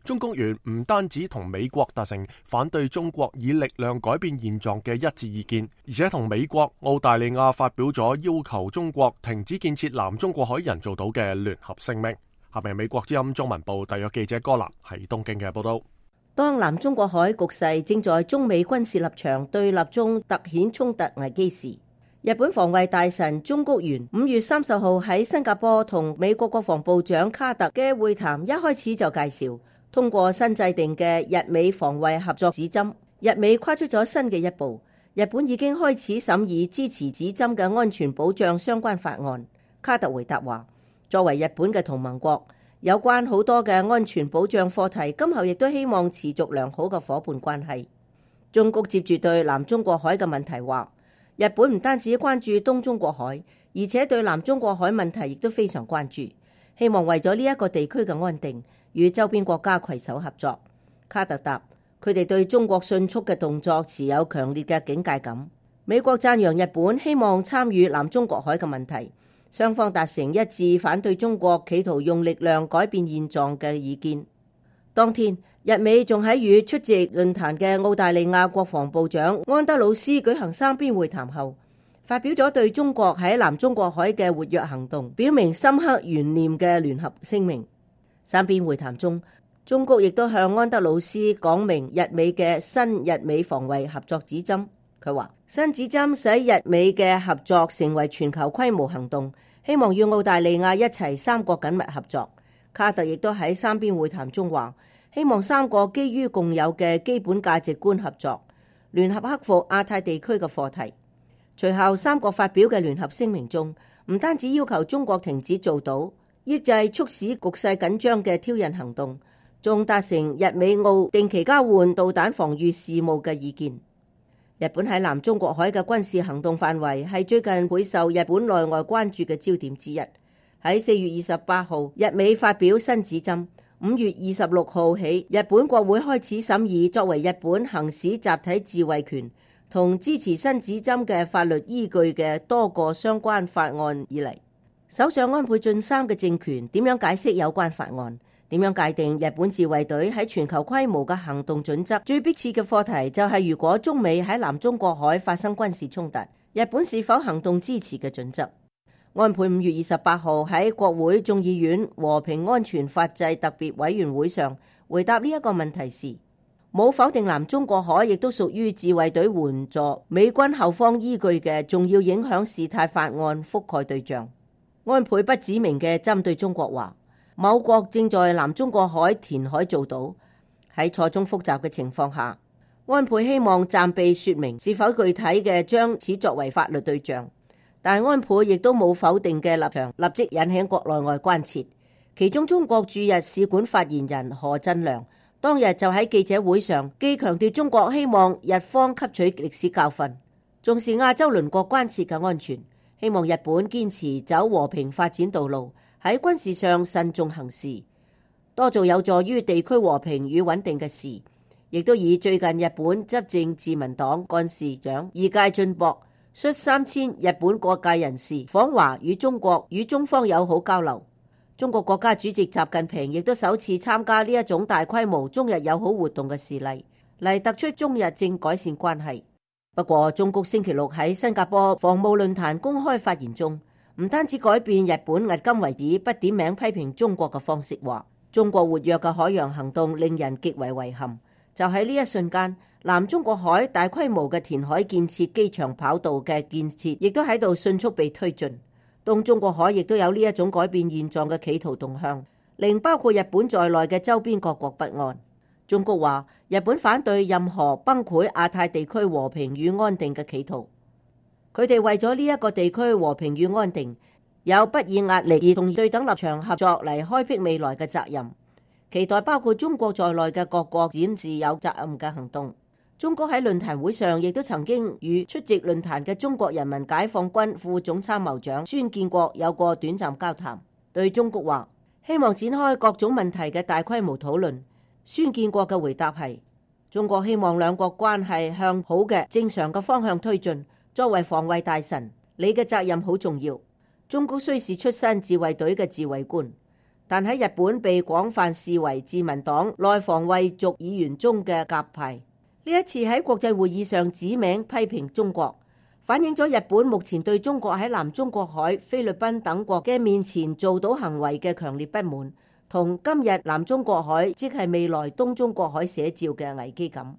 中谷元唔單止同美國達成反對中國以力量改變現狀嘅一致意見，而且同美國、澳大利亞發表咗要求中國停止建設南中國海人造島嘅聯合聲明。下面美國之音中文部特約記者歌南喺東京嘅報道。當南中國海局勢正在中美軍事立場對立中突顯衝突危機時，日本防衛大臣中谷元五月三十號喺新加坡同美國國防部長卡特嘅會談一開始就介紹，通過新制定嘅日美防衛合作指針，日美跨出咗新嘅一步。日本已經開始審議支持指針嘅安全保障相關法案。卡特回答話，作為日本嘅同盟國，有關好多嘅安全保障課題，今後亦都希望持續良好嘅夥伴關係。中谷接住對南中國海嘅問題話，日本唔單止關注東中國海，而且對南中國海問題亦都非常關注，希望為咗呢一個地區嘅安定，與周邊國家攜手合作。卡特答，佢哋對中國迅速嘅動作持有強烈嘅警戒感。美國讚揚日本希望參與南中國海嘅問題。雙方達成一致反對中國企圖用力量改變現狀嘅意見。當天，日美仲喺與出席論壇嘅澳大利亞國防部長安德魯斯舉行三邊會談後，發表咗對中國喺南中國海嘅活躍行動表明深刻懸念嘅聯合聲明。三邊會談中，中國亦都向安德魯斯講明日美嘅新日美防衛合作指針。佢話新指針使日美嘅合作成為全球規模行動，希望與澳大利亞一齊三國緊密合作。卡特亦都喺三邊會談中話，希望三國基於共有嘅基本價值觀合作，聯合克服亞太地區嘅課題。隨後三國發表嘅聯合聲明中，唔單止要求中國停止做賭，抑制促使局勢緊張嘅挑釁行動，仲達成日美澳定期交換導彈防禦事務嘅意見。日本喺南中國海嘅軍事行動範圍係最近會受日本內外關注嘅焦點之一。喺四月二十八號，日美發表新指針。五月二十六號起，日本國會開始審議作為日本行使集體自衛權同支持新指針嘅法律依據嘅多個相關法案以嚟。首相安倍晉三嘅政權點樣解釋有關法案？點樣界定日本自衛隊喺全球規模嘅行動準則？最迫切嘅課題就係如果中美喺南中國海發生軍事衝突，日本是否行動支持嘅準則？安倍五月二十八號喺國會眾議院和平安全法制特別委員會上回答呢一個問題時，冇否定南中國海亦都屬於自衛隊援助美軍後方依據嘅重要影響事態法案覆蓋對象。安倍不指明嘅針對中國話，某國正在南中國海填海造島，喺錯綜複雜嘅情況下，安倍希望暫避說明是否具體嘅將此作為法律對象，但安倍亦都冇否定嘅立場，立即引起國內外關切。其中中國駐日使館發言人何振良當日就喺記者會上既強調中國希望日方吸取歷史教訓，重視亞洲鄰國關切嘅安全，希望日本堅持走和平發展道路，喺軍事上慎重行事，多做有助於地區和平與穩定嘅事，亦都以最近日本執政自民黨幹事長二階俊博率三千日本各界人士訪華與中國與中方友好交流。中國國家主席習近平亦都首次參加呢一種大規模中日友好活動嘅事例，嚟突出中日正改善關係。不過，中國星期六喺新加坡防務論壇公開發言中，唔單止改變日本迄今為止不點名批評中國嘅方式，話中國活躍嘅海洋行動令人極為遺憾。就喺呢一瞬間，南中國海大規模嘅填海建設、機場跑道嘅建設，亦都喺度迅速被推進。東中國海亦都有呢一種改變現狀嘅企圖動向，令包括日本在內嘅周邊各國不安。中國話日本反對任何崩潰亞太地區和平與安定嘅企圖，佢哋為咗呢一個地區和平與安定，有不以壓力而同對等立場合作嚟開闢未來嘅責任，期待包括中國在內嘅各國展示有責任嘅行動。中國喺論壇會上亦都曾經與出席論壇嘅中國人民解放軍副總參謀長孫建國有過短暫交談，對中國話希望展開各種問題嘅大規模討論。孫建國嘅回答係：中國希望兩國關係向好嘅正常嘅方向推進。作為防衛大臣，你嘅責任好重要。中國雖是出身自衛隊嘅自衛官，但喺日本被廣泛視為自民黨內防衛族議員中嘅鴿派。呢一次喺國際會議上指名批評中國，反映咗日本目前對中國喺南中國海、菲律賓等國嘅面前做到行為嘅強烈不滿，同今日南中國海即係未來東中國海寫照嘅危機感。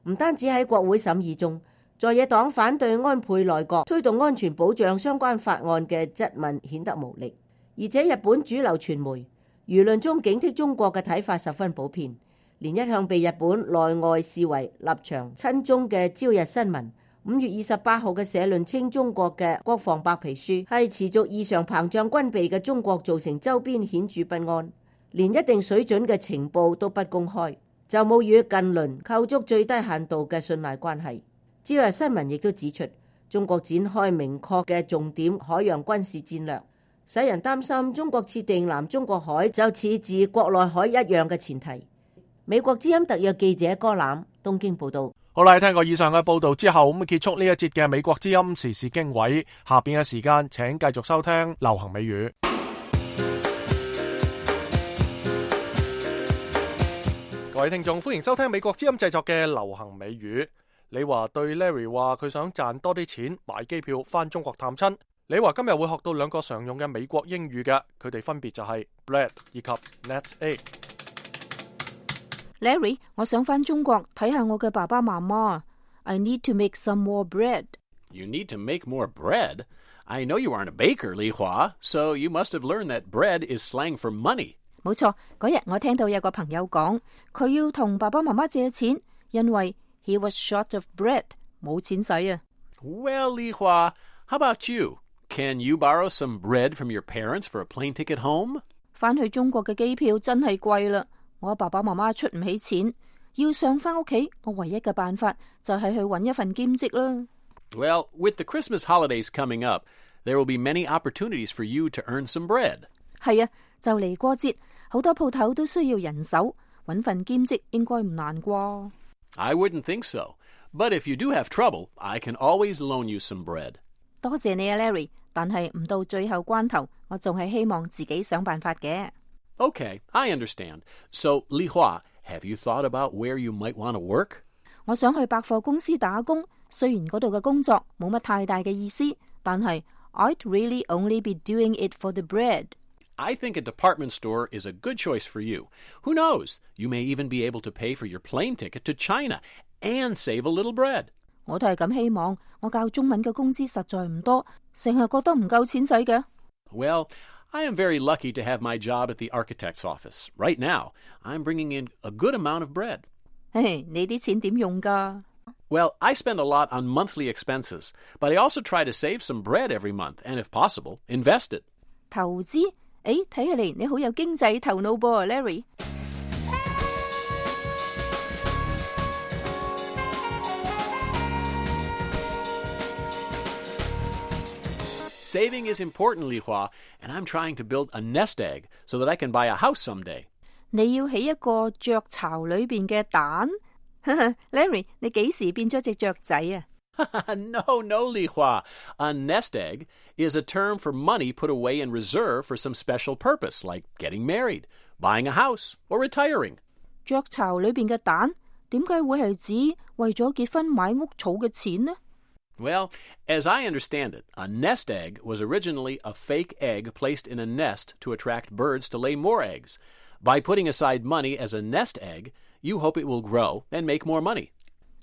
唔單止喺國會審議中，在野黨反對安倍內閣推動安全保障相關法案嘅質問顯得無力，而且日本主流傳媒輿論中警惕中國嘅睇法十分普遍。連一向被日本內外視為立場親中嘅朝日新聞，五月二十八號嘅社論稱中國嘅國防白皮書係持續異常膨脹軍備嘅中國造成周邊顯著不安，連一定水準嘅情報都不公開，就冇與近鄰構築最低限度嘅信賴關係。朝日新聞亦都指出，中國展開明確嘅重點海洋軍事戰略，使人擔心中國設定南中國海就似自國內海一樣嘅前提。美國之音特約記者柯攬東京報道。好啦，聽過以上嘅報道之後，咁結束呢一節嘅美國之音時事經緯。下邊嘅時間，請繼續收聽流行美語。各位聽眾，歡迎收聽美國之音製作嘅流行美語。你話對 Larry 話佢想賺多啲錢買機票返中國探親。你話今日會學到兩個常用嘅美國英語嘅，佢哋分別就係 bread 以及 net egg。Larry， 我想返中國睇下我嘅爸爸媽媽。I need to make some more bread. You need to make more bread? I know you aren't a baker, Li Hua, so you must have learned that bread is slang for money. 冇錯，嗰日我聽到有個朋友講，佢要同爸爸媽媽借錢，因為 he was short of bread， 冇錢使啊。Well, Li Hua, how about you? Can you borrow some bread from your parents for a plane ticket home? 返去中國嘅機票真係貴啦，我爸爸媽媽出唔起錢，要上返屋企，我唯一嘅辦法就係去揾一份兼職啦。Well, with the Christmas holidays coming up, there will be many opportunities for you to earn some bread. 係啊，就嚟過節，好多鋪頭都需要人手，揾份兼職應該唔難啩。I wouldn't think so, but if you do have trouble, I can always loan you some bread. 多謝你啊 ，Larry， 但係唔到最後關頭，我仲係希望自己想辦法嘅。Okay, I understand. So, Li Hua, have you thought about where you might want to work? 我想去百貨公司打工，雖然嗰度嘅工作冇乜太大嘅意思，但係 I'd really only be doing it for the bread. I think a department store is a good choice for you. Who knows? You may even be able to pay for your plane ticket to China and save a little bread. 我都係咁希望，我教中文嘅工資實在唔多，成日覺得唔夠錢使嘅。Well, I am very lucky to have my job at the architect's office. Right now, I'm bringing in a good amount of bread. 嘿，你啲錢點用㗎？ Well, I spend a lot on monthly expenses, but I also try to save some bread every month and, if possible, invest it. 投資？誒，睇起嚟你好有經濟頭腦噃 ，Larry。Saving is important, Li Hua, and I'm trying to build a nest egg so that I can buy a house someday. 你要起一個雀巢裏邊嘅蛋？Larry， 你幾時變咗隻雀仔啊？ No, no, Li Hua. A nest egg is a term for money put away in reserve for some special purpose, like getting married, buying a house, or retiring. 雀巢裏邊嘅蛋點解會係指為咗結婚買屋儲嘅錢呢？ Well, as I understand it, a nest egg was originally a fake egg placed in a nest to attract birds to lay more eggs. By putting aside money as a nest egg, you hope it will grow and make more money.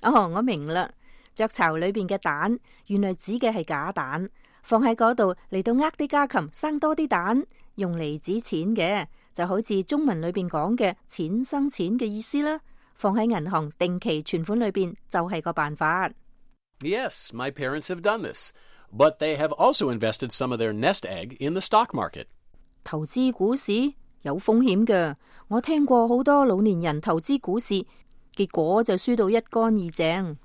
哦，我明啦。雀巢裏邊嘅蛋，原來指嘅係假蛋，放喺嗰度嚟到呃啲家禽生多啲蛋，用嚟指錢嘅，就好似中文裏邊講嘅錢生錢嘅意思啦。放喺銀行定期存款裏邊就係個辦法。Yes, my parents have done this, but they have also invested some of their nest egg in the stock market. 投資股市有風險嘅，我聽過好多老年人投資股市，結果就輸到一乾二淨。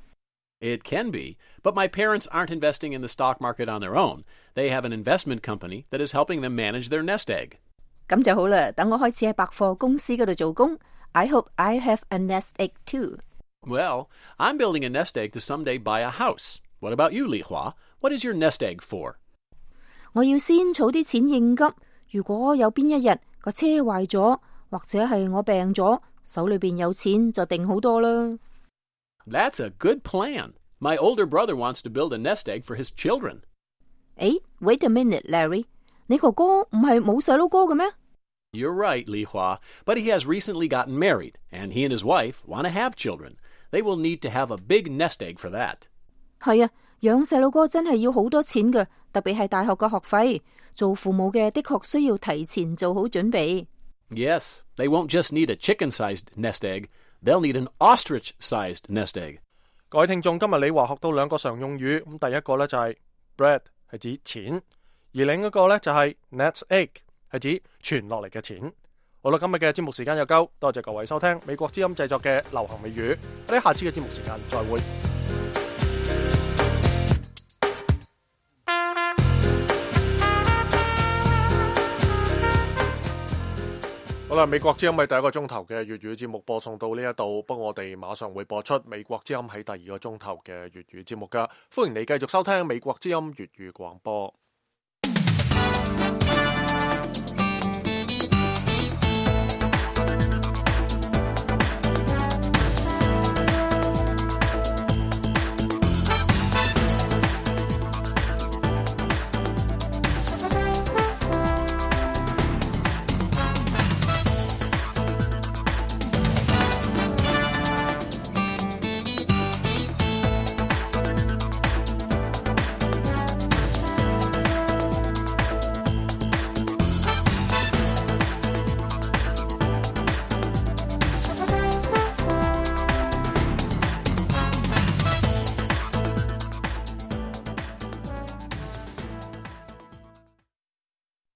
It can be, but my parents aren't investing in the stock market on their own. They have an investment company that is helping them manage their nest egg. 咁就好啦，等我開始喺百貨公司嗰度做工。I hope I have a nest egg too. Well, I'm building a nest egg to someday buy a house. What about you, Li Hua? What is your nest egg for? 我要先儲啲錢應急，如果有邊一日個車壞咗，或者係我病咗，手裏邊有錢就定好多啦。That's a good plan. My older brother wants to build a nest egg for his children. 誒 wait a minute, Larry. 你哥哥唔係冇細佬哥嘅咩？ You're right, Li Hua, but he has recently gotten married, and he and his wife want to have children. They will need to have a big nest egg for that. 係啊，養細佬哥真係要好多錢嘅，特別係大學嘅學費。做父母嘅的確需要提前做好準備。Yes, they won't just need a chicken-sized nest egg. They'll need an ostrich-sized nest egg. 各位聽眾，今日你話學到兩個常用語，咁第一個咧就係 bread 係指錢，而另一個咧就係 nest egg 係指傳落嚟嘅錢。好啦，今日嘅節目時間又夠，多謝各位收聽美國之音製作嘅流行美語，我哋下次嘅節目時間再會。好啦，美國之音喺第一個鐘頭嘅粵語節目播送到呢一度，不過我哋馬上會播出美國之音喺第二個鐘頭嘅粵語節目噶，歡迎你繼續收聽美國之音粵語廣播。